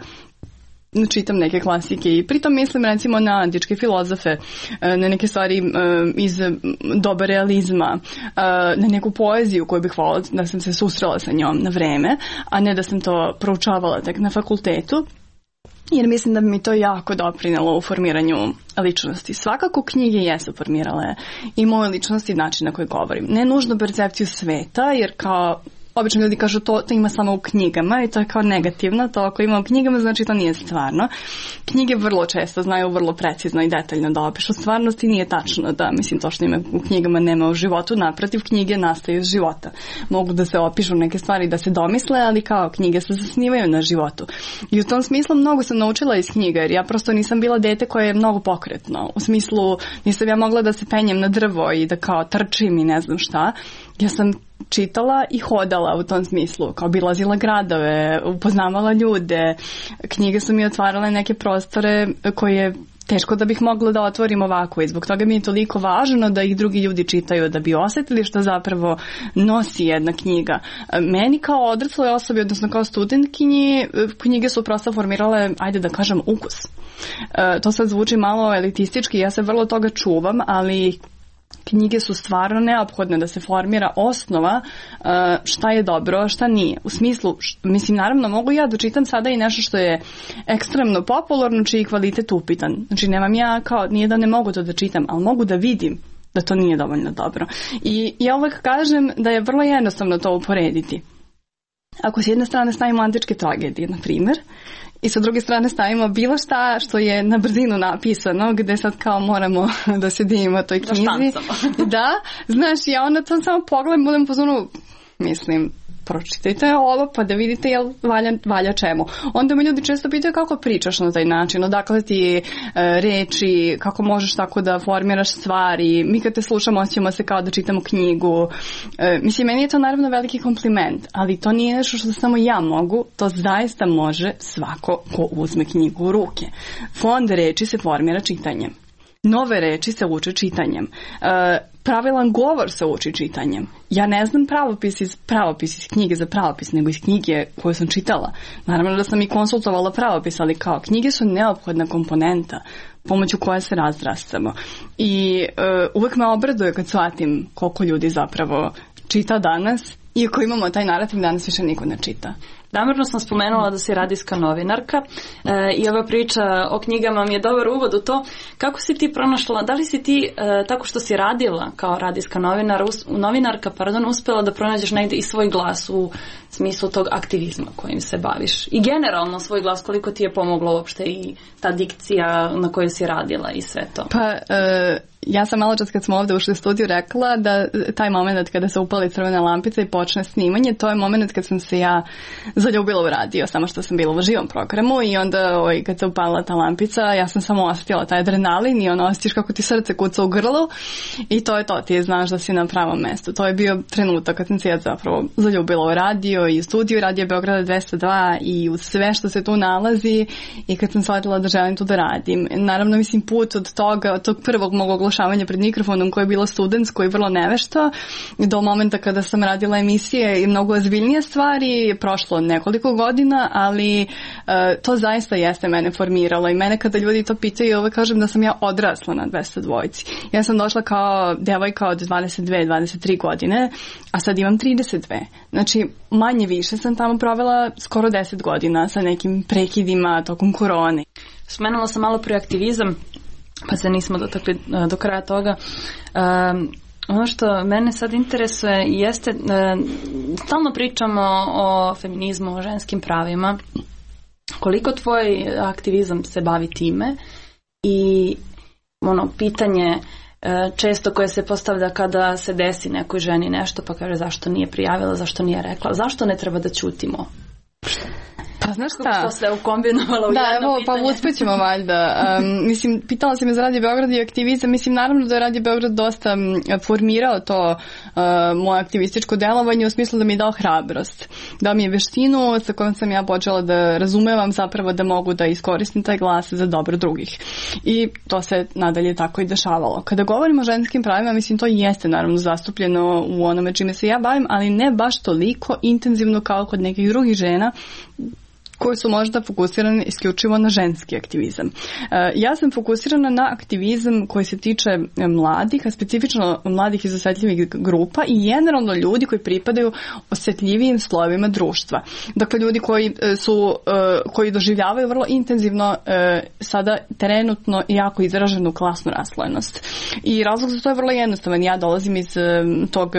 Čitam neke klasike i pritom mislim recimo na antičke filozofe, na neke stvari iz doba realizma, na neku poeziju koju bih voljela da sam se susrela sa njom na vreme, a ne da sam to proučavala tek na fakultetu. Jer mislim da bi mi to jako doprinelo u formiranju ličnosti. Svakako knjige jesu formirale i moju ličnost i način na koji govorim. Ne nužno percepciju sveta, jer kao obično ljudi kažu to ima samo u knjigama i to je kao negativno, to ako ima u knjigama znači to nije stvarno. Knjige vrlo često znaju vrlo precizno i detaljno da opišu stvarnost i nije tačno da, mislim, to što ima u knjigama nema u životu, naprotiv, knjige nastaju iz života. Mogu da se opišu neke stvari da se domisle, ali kao knjige se zasnivaju na životu. I u tom smislu mnogo sam naučila iz knjiga, jer ja prosto nisam bila dete koje je mnogo pokretno. U smislu nisam ja mogla da se penjem na drvo i da kao trčim i ne znam šta. Ja sam čitala i hodala u tom smislu, kao obilazila gradove, upoznavala ljude, knjige su mi otvarale neke prostore koje teško da bih mogla da otvorim ovako i zbog toga mi je toliko važno da ih drugi ljudi čitaju, da bi osjetili što zapravo nosi jedna knjiga. Meni kao odrasloj osobi, odnosno kao studentkinji, knjige su prosto formirale, ajde da kažem, ukus. To sad zvuči malo elitistički, ja se vrlo toga čuvam, ali knjige su stvarno neophodne da se formira osnova šta je dobro, a šta nije. U smislu, mislim, naravno mogu ja da čitam sada i nešto što je ekstremno popularno, čiji kvalitet upitan. Znači, nemam ja kao, nije da ne mogu to da čitam, ali mogu da vidim da to nije dovoljno dobro. I ja uvek kažem da je vrlo jednostavno to uporediti. Ako s jedne strane stavimo antičke tragedije, na primjer, i sa druge strane stavimo bilo šta što je na brzinu napisano, gde sad kao moramo da se divimo toj knjizi. Da, znaš, ja onda to samo pogledam, budem po zonu, mislim, pročitajte ovo pa da vidite jel valja čemu. Onda me ljudi često pitaju kako pričaš na taj način, odakle ti reči, kako možeš tako da formiraš stvari. Mi kad te slušamo osjećamo se kao da čitamo knjigu. Mislim, meni je to naravno veliki kompliment, ali to nije nešto što samo ja mogu, to zaista može svako ko uzme knjigu u ruke. Fond reči se formira čitanjem. Nove reči se uče čitanjem. Pravilan govor se uči čitanjem. Ja ne znam pravopis iz knjige za pravopis, nego iz knjige koju sam čitala. Naravno da sam i konsultovala pravopis, ali kao knjige su neophodna komponenta pomoću koje se razrastamo. I uvek me obraduje kad shvatim koliko ljudi zapravo čita danas, iako imamo taj narativ danas više niko ne čita. Namjerno sam spomenula da si radijska novinarka i ova priča o knjigama mi je dobar uvod u to kako si ti pronašla, da li si ti tako što si radila kao radijska novinarka, uspjela da pronađeš negdje i svoj glas u smislu tog aktivizma kojim se baviš i generalno svoj glas, koliko ti je pomoglo uopšte i ta dikcija na kojoj si radila i sve to? Pa ja sam malo čas kad smo ovdje ušli u studiju rekla da taj moment kada se upali crvena lampica i počne snimanje, to je moment kad sam se ja zaljubila u radio, samo što sam bila u živom programu i onda kad se upalila ta lampica, ja sam samo osjetila taj adrenalin i osjetiš kako ti srce kuca u grlu i to je to, ti znaš da si na pravom mjestu. To je bio trenutak kad sam se ja zapravo zaljubila u radio i u studiju Radio Beograda 202 i u sve što se tu nalazi i kad sam shvatila da želim tu da radim. Naravno, mislim, put od toga, od tog prvog mog oglašavanja pred mikrofonom koje je bilo studentsko i vrlo nevešto, do momenta kada sam radila emisije i mnogo ozbiljnije stvari, je prošlo nekoliko godina, ali to zaista jeste mene formiralo i mene kada ljudi to pitaju, uvek kažem da sam ja odrasla na 202. Ja sam došla kao devojka od 22-23 godine, a sad imam 32. Znači, manje više sam tamo provela skoro 10 godina sa nekim prekidima tokom korone. Spomenula sam malo prije aktivizam, pa se nismo dotakli do kraja toga. Ono što mene sad interesuje jeste, stalno pričamo o feminizmu, o ženskim pravima. Koliko tvoj aktivizam se bavi time i pitanje često koje se postavlja kada se desi nekoj ženi nešto pa kaže zašto nije prijavila, zašto nije rekla, zašto ne treba da ćutimo? Pa znaš šta? Što se ukombinovala u jedno pitanje. Pa uspjećemo valjda. Mislim, pitala si me za Radio Beograd i aktivizam. Mislim, naravno da je Radio Beograd dosta formirao to moje aktivističko delovanje u smislu da mi je dao hrabrost. Dao mi je veštinu sa kojom sam ja počela da razumevam zapravo da mogu da iskoristim taj glas za dobro drugih. I to se nadalje tako i dešavalo. Kada govorimo o ženskim pravima, mislim, to jeste naravno zastupljeno u onome čime se ja bavim, ali ne baš toliko intenzivno kao kod nekih drugih žena koji su možda fokusirani isključivo na ženski aktivizam. Ja sam fokusirana na aktivizam koji se tiče mladih, a specifično mladih iz osjetljivih grupa i generalno ljudi koji pripadaju osjetljivijim slojevima društva. Dakle, ljudi koji doživljavaju vrlo intenzivno sada trenutno jako izraženu klasnu raslojenost. I razlog za to je vrlo jednostavan. Ja dolazim iz tog,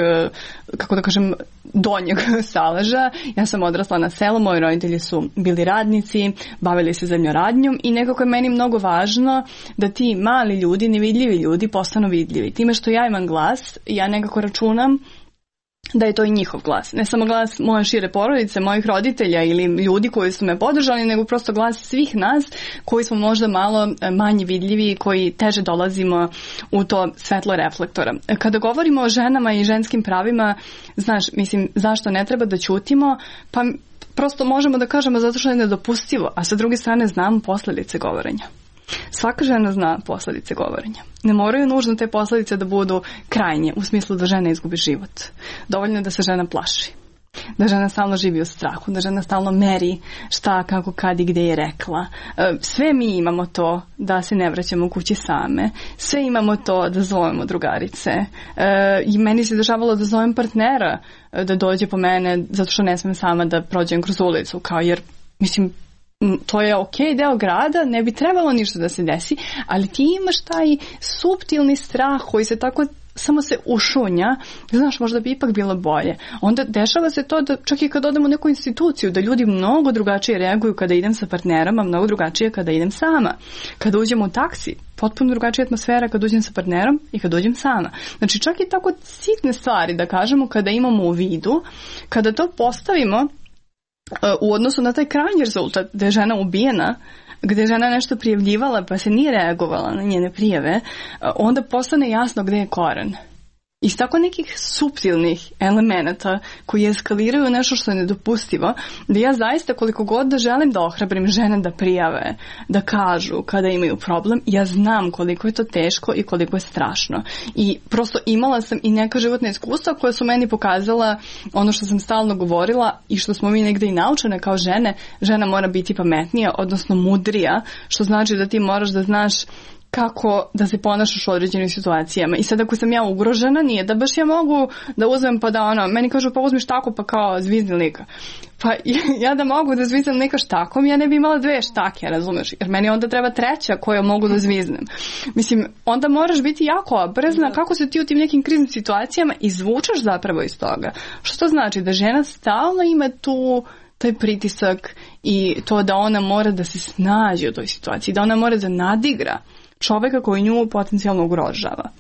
kako da kažem, donjeg Saleža. Ja sam odrasla na selu, moji roditelji su bili radnici, bavili se zemljoradnjom i nekako je meni mnogo važno da ti mali ljudi, nevidljivi ljudi postanu vidljivi. Time što ja imam glas, ja nekako računam da je to i njihov glas. Ne samo glas moje šire porodice, mojih roditelja ili ljudi koji su me podržali, nego prosto glas svih nas koji smo možda malo manje vidljivi i koji teže dolazimo u to svetlo reflektora. Kada govorimo o ženama i ženskim pravima, znaš, mislim, zašto ne treba da ćutimo? Pa prosto možemo da kažemo zato što je nedopustivo, a sa druge strane znamo posljedice govorenja. Svaka žena zna posljedice govorenja. Ne moraju nužno te posljedice da budu krajnje, u smislu da žena izgubi život. Dovoljno je da se žena plaši. Da žena stalno živi u strahu, da žena stalno meri šta, kako, kad i gde je rekla. Sve mi imamo to da se ne vraćamo kući same. Sve imamo to da zovemo drugarice. I meni se dešavalo da zovem partnera da dođe po mene zato što ne smem sama da prođem kroz ulicu. Jer, mislim, to je okej deo grada, ne bi trebalo ništa da se desi, ali ti imaš taj suptilni strah koji se tako samo se ušunja, znaš, možda bi ipak bilo bolje. Onda dešava se to da čak i kad odem u neku instituciju, da ljudi mnogo drugačije reaguju kada idem sa partnerom, a mnogo drugačije kada idem sama. Kada uđem u taksi, potpuno drugačija atmosfera kad uđem sa partnerom i kad uđem sama. Znači čak i tako sitne stvari, da kažemo, kada imamo u vidu, kada to postavimo u odnosu na taj krajnji rezultat gde je žena ubijena, gde je žena nešto prijavljivala pa se nije reagovala na njene prijave, onda postane jasno gde je koren. Iz tako nekih suptilnih elemenata koji eskaliraju nešto što je nedopustivo, da ja zaista koliko god da želim da ohrabrim žene da prijave, da kažu kada imaju problem, ja znam koliko je to teško i koliko je strašno. I prosto imala sam i neka životna iskustva koja su meni pokazala ono što sam stalno govorila i što smo mi negde i naučene kao žene. Žena mora biti pametnija, odnosno mudrija, što znači da ti moraš da znaš kako da se ponašaš u određenim situacijama. I sad ako sam ja ugrožena, nije da baš ja mogu da uzmem pa da meni kažu pa uzmi štaku pa kao zvizni lika. Pa ja da mogu da zviznem lika štakom, ja ne bi imala 2 štake, razumeš? Jer meni onda treba 3 koju mogu da zviznem. Mislim, onda moraš biti jako oprezna kako se ti u tim nekim kriznim situacijama izvučeš zapravo iz toga. Što to znači? Da žena stalno ima taj pritisak i to da ona mora da se snađe u toj situaciji, da ona mora da nadigra čoveka koji nju potencijalno ugrožava.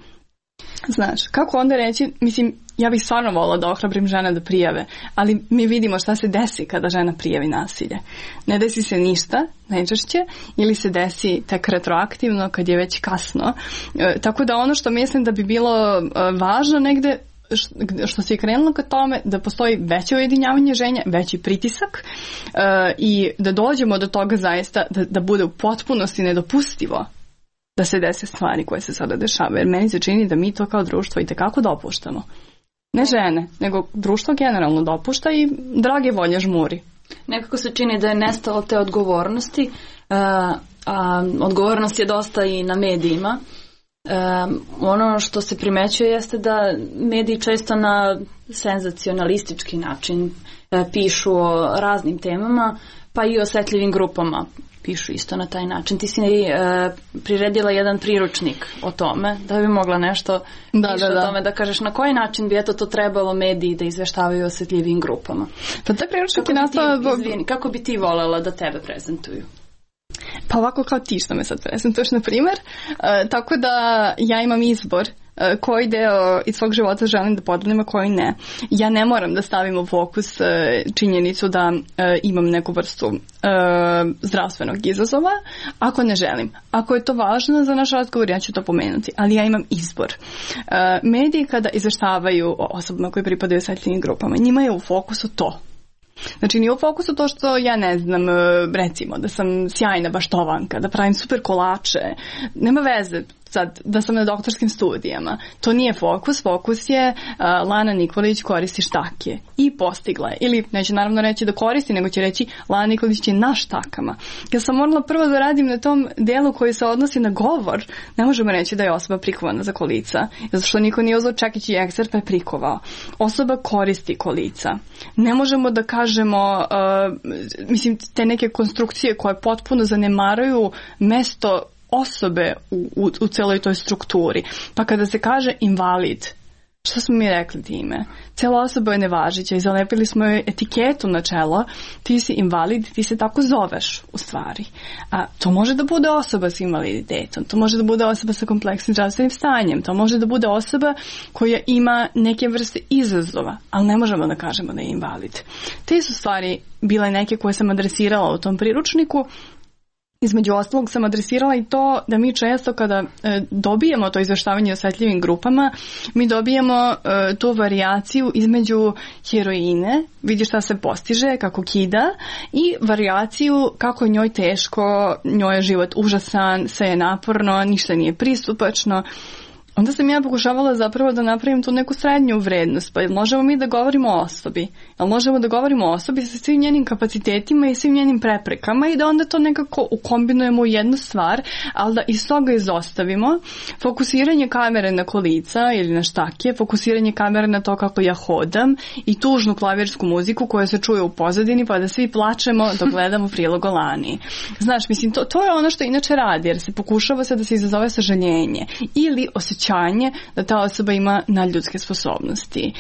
Znaš, kako onda reći, mislim, ja bih stvarno volila da ohrabrim žene da prijave, ali mi vidimo šta se desi kada žena prijavi nasilje. Ne desi se ništa, najčešće, ili se desi tek retroaktivno kad je već kasno. Tako da ono što mislim da bi bilo važno negde, što se je krenulo ka tome, da postoji veće ujedinjavanje žena, veći pritisak i da dođemo do toga zaista da bude u potpunosti nedopustivo da se dese stvari koje se sada dešavaju. Jer meni se čini da mi to kao društvo itekako dopuštamo. Ne žene, nego društvo generalno dopušta i drage volje žmuri. Nekako se čini da je nestalo te odgovornosti, a odgovornost je dosta i na medijima. Ono što se primećuje jeste da mediji često na senzacionalistički način pišu o raznim temama, pa i o osetljivim grupama. pišu isto na taj način. Ti si priredila jedan priručnik o tome, da bi mogla nešto o tome da kažeš na koji način bi to trebalo mediji da izveštavaju o osjetljivim grupama. Pa taj priručnik je nastao... Kako bi ti voljela da tebe prezentuju? Pa ovako kao ti što me sad prezentuješ, na primjer. Tako da ja imam izbor koji deo iz svog života želim da podelim, a koji ne. Ja ne moram da stavim u fokus činjenicu da imam neku vrstu zdravstvenog izazova, ako ne želim. Ako je to važno za naš razgovor, ja ću to pomenuti, ali ja imam izbor. Mediji kada izveštavaju o osobama koje pripadaju osjetljivim grupama, njima je u fokusu to. Znači nije u fokusu to što ja ne znam, recimo da sam sjajna baštovanka, da pravim super kolače, nema veze sad da sam na doktorskim studijama. To nije fokus, fokus je Lana Nikolić koristi štake i postigla je. Ili neće naravno reći da koristi, nego će reći Lana Nikolić je na štakama. Ja sam morala prvo da radim na tom delu koji se odnosi na govor, ne možemo reći da je osoba prikovana za kolica, zato što niko nije uzeo čekić i ekser pa je prikovao. Osoba koristi kolica. Ne možemo da kažemo, te neke konstrukcije koje potpuno zanemaraju mesto osobe u celoj toj strukturi. Pa kada se kaže invalid, što smo mi rekli time? Cela osoba je nevažića i zalepili smo joj etiketu na čelo, ti si invalid, ti se tako zoveš u stvari. A to može da bude osoba s invaliditetom, to može da bude osoba sa kompleksnim zdravstvenim stanjem, to može da bude osoba koja ima neke vrste izazova, ali ne možemo da kažemo da je invalid. Te su stvari bile neke koje sam adresirala u tom priručniku. Između ostalog sam adresirala i to da mi često kada dobijemo to izveštavanje o osjetljivim grupama, mi dobijemo tu varijaciju između heroine, vidi šta se postiže, kako kida, i varijaciju kako je njoj teško, njoj je život užasan, sve je naporno, ništa nije pristupačno. Onda sam ja pokušavala zapravo da napravim tu neku srednju vrednost. Pa možemo mi da govorimo o osobi? Ali možemo da govorimo o osobi sa svim njenim kapacitetima i svim njenim preprekama i da onda to nekako ukombinujemo u jednu stvar, ali da iz toga izostavimo fokusiranje kamere na kolica ili na štake, fokusiranje kamere na to kako ja hodam i tužnu klavirsku muziku koja se čuje u pozadini pa da svi plačemo dok gledamo prilog o Lani. Znaš, mislim, to je ono što inače radi, jer se pokušava se da se izazove sažaljenje ili osjećanje da ta osoba ima nadljudske sposobnosti.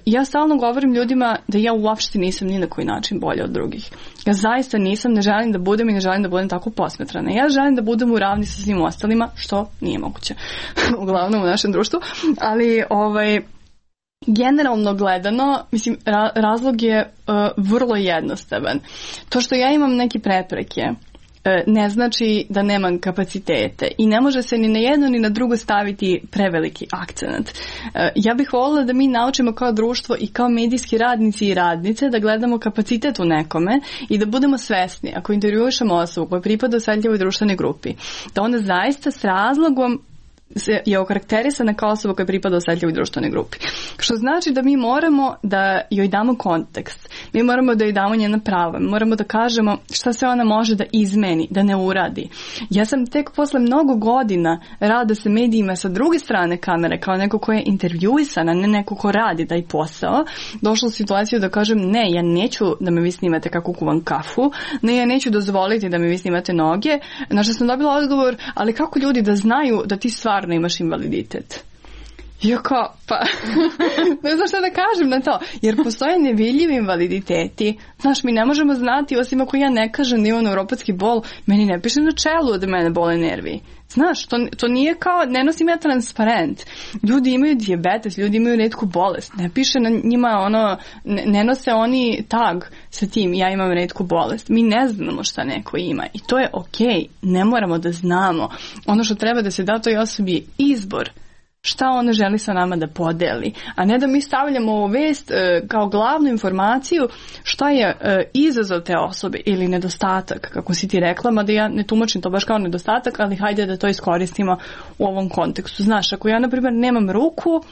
Ja stalno govorim ljudima da ja uopšte nisam ni na koji način bolja od drugih. Ja zaista nisam, ne želim da budem i ne želim da budem tako posmetrana. Ja želim da budem u ravni sa svim ostalima, što nije moguće. Uglavnom u našem društvu. Ali generalno gledano, mislim, razlog je vrlo jednostavan. To što ja imam neke prepreke ne znači da nemam kapacitete i ne može se ni na jedno ni na drugo staviti preveliki akcenat. Ja bih voljela da mi naučimo kao društvo i kao medijski radnici i radnice da gledamo kapacitet u nekome i da budemo svesni ako intervjušamo osobu koja pripada osjetljivoj društvenoj grupi, da ona zaista s razlogom je okarakterisana kao osoba koja pripada osjetljivoj društvenoj grupi. Što znači da mi moramo da joj damo kontekst, mi moramo da joj damo njena prava, mi moramo da kažemo šta se ona može da izmeni, da ne uradi. Ja sam tek posle mnogo godina rada sa medijima sa druge strane kamere, kao neko ko je intervjuisana, ne neko ko radi taj posao, došla u situaciju da kažem ne, ja neću da me vi snimate kako kuvam kafu, ne, ja neću dozvoliti da me vi snimate noge, na što sam dobila odgovor, ali kako ljudi da znaju da ti stvarno imaš invaliditet? Ja kao, pa, ne znam šta da kažem na to, jer postoje nevidljivi invaliditeti. Znaš, mi ne možemo znati, osim ako ja ne kažem da imam neuropatski bol, meni ne piše na čelu da mene bole nervi. Znaš, to nije kao, ne nosim ja transparent. Ljudi imaju dijabetes, ljudi imaju retku bolest. Ne piše na njima ne nose oni tag sa tim, ja imam retku bolest. Mi ne znamo šta neko ima i to je okej, ne moramo da znamo. Ono što treba da se da toj osobi izbor. Šta ona želi sa nama da podeli, a ne da mi stavljamo ovu vest kao glavnu informaciju šta je izazov te osobe ili nedostatak, kako si ti rekla, mada ja ne tumačim to baš kao nedostatak, ali hajde da to iskoristimo u ovom kontekstu. Znaš, ako ja, na primjer, nemam ruku,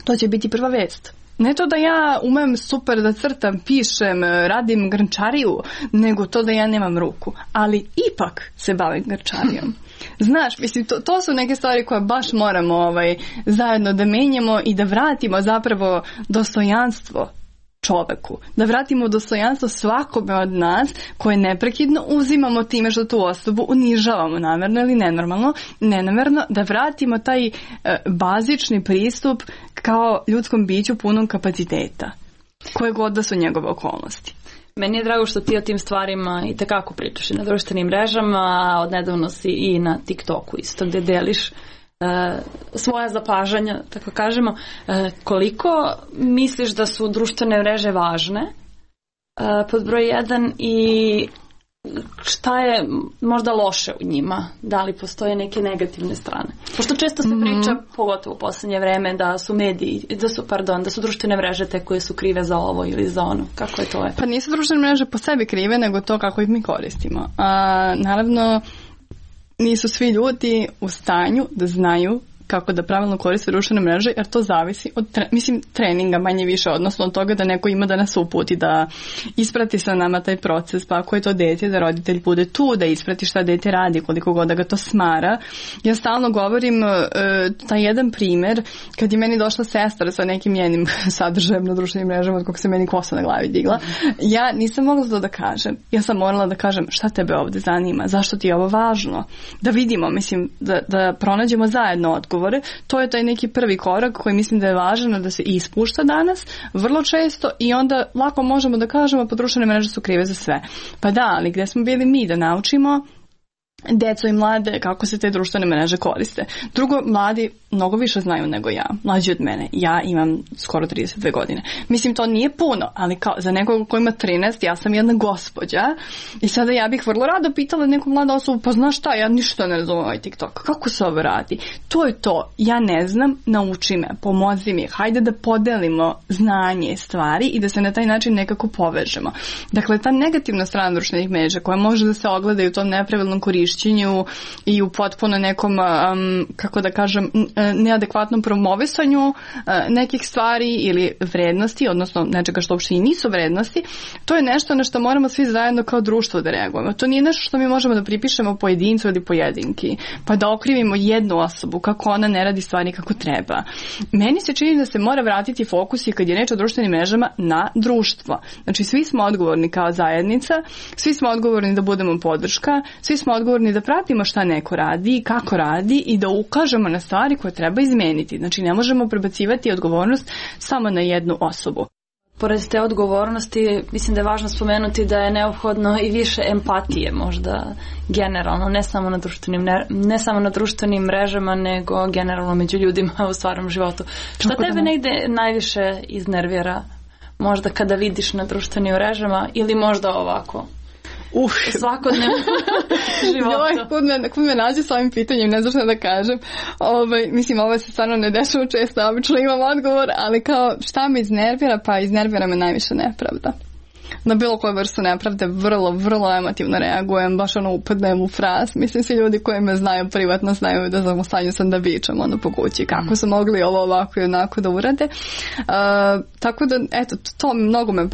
to će biti prva vest. Ne to da ja umem super da crtam, pišem, radim grnčariju, nego to da ja nemam ruku, ali ipak se bavim grnčarijom. Znaš, mislim, to su neke stvari koje baš moramo zajedno da menjamo i da vratimo zapravo dostojanstvo čoveku, da vratimo dostojanstvo svakome od nas koje neprekidno uzimamo time što tu osobu unižavamo namerno ili nenamerno, da vratimo taj bazični pristup kao ljudskom biću punom kapaciteta, koje god da su njegove okolnosti. Meni je drago što ti o tim stvarima i tekako pričaš i na društvenim mrežama, a odnedavno si i na TikToku isto gde deliš svoja zapažanja, tako kažemo. Koliko misliš da su društvene mreže važne pod broj 1 i šta je možda loše u njima? Da li postoje neke negativne strane? Pošto često se priča, pogotovo u poslednje vreme, da su mediji, da su društvene mreže te koje su krive za ovo ili za ono. Kako je to? Pa nisu društvene mreže po sebi krive, nego to kako ih mi koristimo. Naravno, nisu svi ljudi u stanju da znaju kako da pravilno koriste društvene mreže, jer to zavisi od treninga manje više, odnosno od toga da neko ima da nas uputi, da isprati sa nama taj proces, pa ako je to dete, da roditelj bude tu, da isprati šta dete radi, koliko god da ga to smara. Ja stalno govorim taj jedan primer, kad je meni došla sestra sa nekim njenim sadržajem na društvenim mrežama, kako se meni kosa na glavi digla, ja nisam mogla to da kažem. Ja sam morala da kažem šta tebe ovde zanima, zašto ti je ovo važno, da vidimo, da pronađemo zajedno odgovor. To je taj neki prvi korak koji mislim da je važan da se ispušta danas vrlo često i onda lako možemo da kažemo pa društvene mreže su krive za sve. Pa da, ali gde smo bili mi da naučimo deco i mlade kako se te društvene mreže koriste. Drugo, mladi mnogo više znaju nego ja, mlađi od mene. Ja imam skoro 32 godine. Mislim, to nije puno, ali kao za nekog ko ima 13, ja sam jedna gospođa i sada ja bih vrlo rado pitala neku mladu osobu, pa znaš šta, ja ništa ne razumem ovaj TikTok. Kako se ovo radi? To je to. Ja ne znam, nauči me, pomozi mi. Hajde da podelimo znanje, stvari i da se na taj način nekako povežemo. Dakle, ta negativna strana društvenih mreža koja može da se ogleda i u tom nepravilnom korišćenju i u potpuno nekom, kako da kažem, neadekvatnom promovisanju nekih stvari ili vrednosti, odnosno nečega što uopšte i nisu vrednosti, to je nešto na što moramo svi zajedno kao društvo da reagujemo. To nije nešto što mi možemo da pripišemo pojedincu ili pojedinki, pa da okrivimo jednu osobu kako ona ne radi stvari kako treba. Meni se čini da se mora vratiti fokus i kad je reč o društvenim mrežama na društvo. Znači, svi smo odgovorni kao zajednica, svi smo odgovorni da budemo podrška, svi smo odgovorni da pratimo šta neko radi i kako radi i da ukažemo na stvari koje treba izmeniti. Znači, ne možemo prebacivati odgovornost samo na jednu osobu. Pored te odgovornosti, mislim da je važno spomenuti da je neophodno i više empatije možda generalno, ne samo na društvenim mrežama, nego generalno među ljudima u stvarnom životu. Šta tebe negde najviše iznervira? Možda kada vidiš na društvenim mrežama ili možda ovako? Svakodnevno životu. Kud me nađe s ovim pitanjem, ne znam šta da kažem. Mislim, ovo se stvarno ne dešava često, obično imam odgovor, ali kao šta me iznervira, pa iznervira me najviše nepravda. Na bilo koju vrstu nepravde vrlo, vrlo emotivno reagujem, baš upadnem u fraz. Mislim, svi ljudi koji me znaju privatno znaju da sam u stanju sam da vičem po kući kako su mogli ovo ovako i onako da urade. Tako da, eto, to mnogo me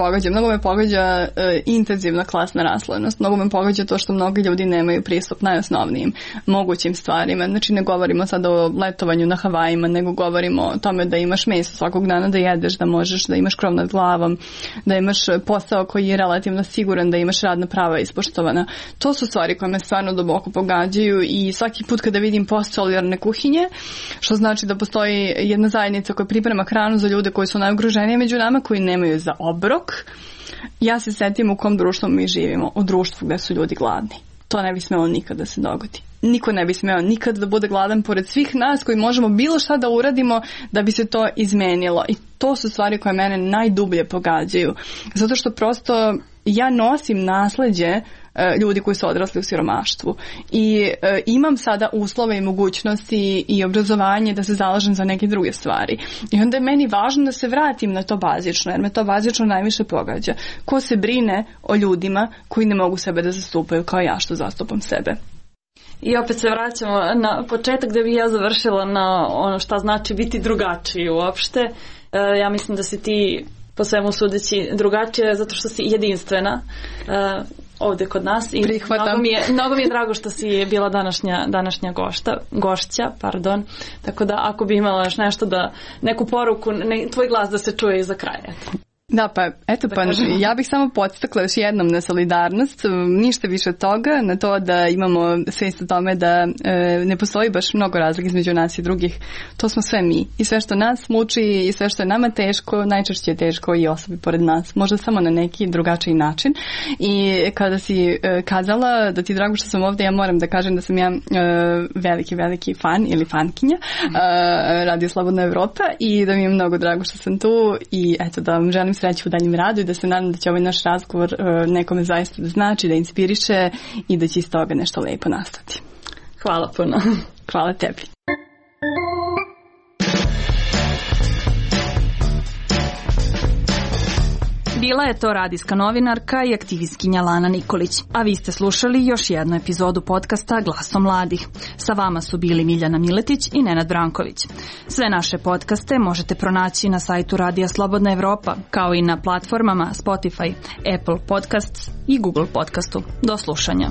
pogađa intenzivna klasna raslojenost, mnogo me pogađa to što mnogi ljudi nemaju pristup najosnovnijim mogućim stvarima. Znači, ne govorimo sad o letovanju na Havajima, nego govorimo o tome da imaš meso svakog dana da jedeš, da možeš da imaš krov nad glavom, da imaš posao koji je relativno siguran, da imaš radna prava ispoštovana. To su stvari koje me stvarno duboko pogađaju i svaki put kada vidim post solidarne kuhinje, što znači da postoji jedna zajednica koja priprema hranu za ljude koji su najugroženiji među nama, koji nemaju za obrok, ja se setim u kom društvu mi živimo, u društvu gde su ljudi gladni. To ne bi smelo nikad da se dogodi. Niko ne bi smeo nikad da bude gladan pored svih nas koji možemo bilo šta da uradimo da bi se to izmenilo. I to su stvari koje mene najdublje pogađaju. Zato što prosto ja nosim nasleđe ljudi koji su odrasli u siromaštvu. I imam sada uslove i mogućnosti i obrazovanje da se zalažem za neke druge stvari. I onda je meni važno da se vratim na to bazično, jer me to bazično najviše pogađa. Ko se brine o ljudima koji ne mogu sebe da zastupaju kao ja što zastupam sebe. I opet se vraćamo na početak gde bih ja završila na ono šta znači biti drugačiji uopšte. Ja mislim da si ti po svemu sudeći drugačija zato što si jedinstvena ovde kod nas i mnogo mi je drago što si bila današnja gošća. Tako da ako bi imala još nešto neku poruku, tvoj glas da se čuje iza kraja. Da, pa eto, pa ja bih samo podstakla još jednom na solidarnost, ništa više od toga, na to da imamo svijest o tome da ne postoji baš mnogo razlike između nas i drugih. To smo sve mi. I sve što nas muči i sve što je nama teško, najčešće je teško i osobi pored nas. Možda samo na neki drugačiji način. I kada si kazala da ti je drago što sam ovdje, ja moram da kažem da sam ja veliki fan ili fankinja Radio Slobodna Evropa i da mi je mnogo drago što sam tu i eto da vam želim sreću u daljem radu i da se nadam da će ovaj naš razgovor nekome zaista da znači, da inspiriše i da će iz toga nešto lepo nastati. Hvala puno. Hvala tebi. Bila je to radijska novinarka i aktivistkinja Lana Nikolić, a vi ste slušali još jednu epizodu podcasta Glasom mladih. Sa vama su bili Miljana Miletić i Nenad Branković. Sve naše podcaste možete pronaći na sajtu Radija Slobodna Evropa, kao i na platformama Spotify, Apple Podcasts i Google Podcastu. Do slušanja.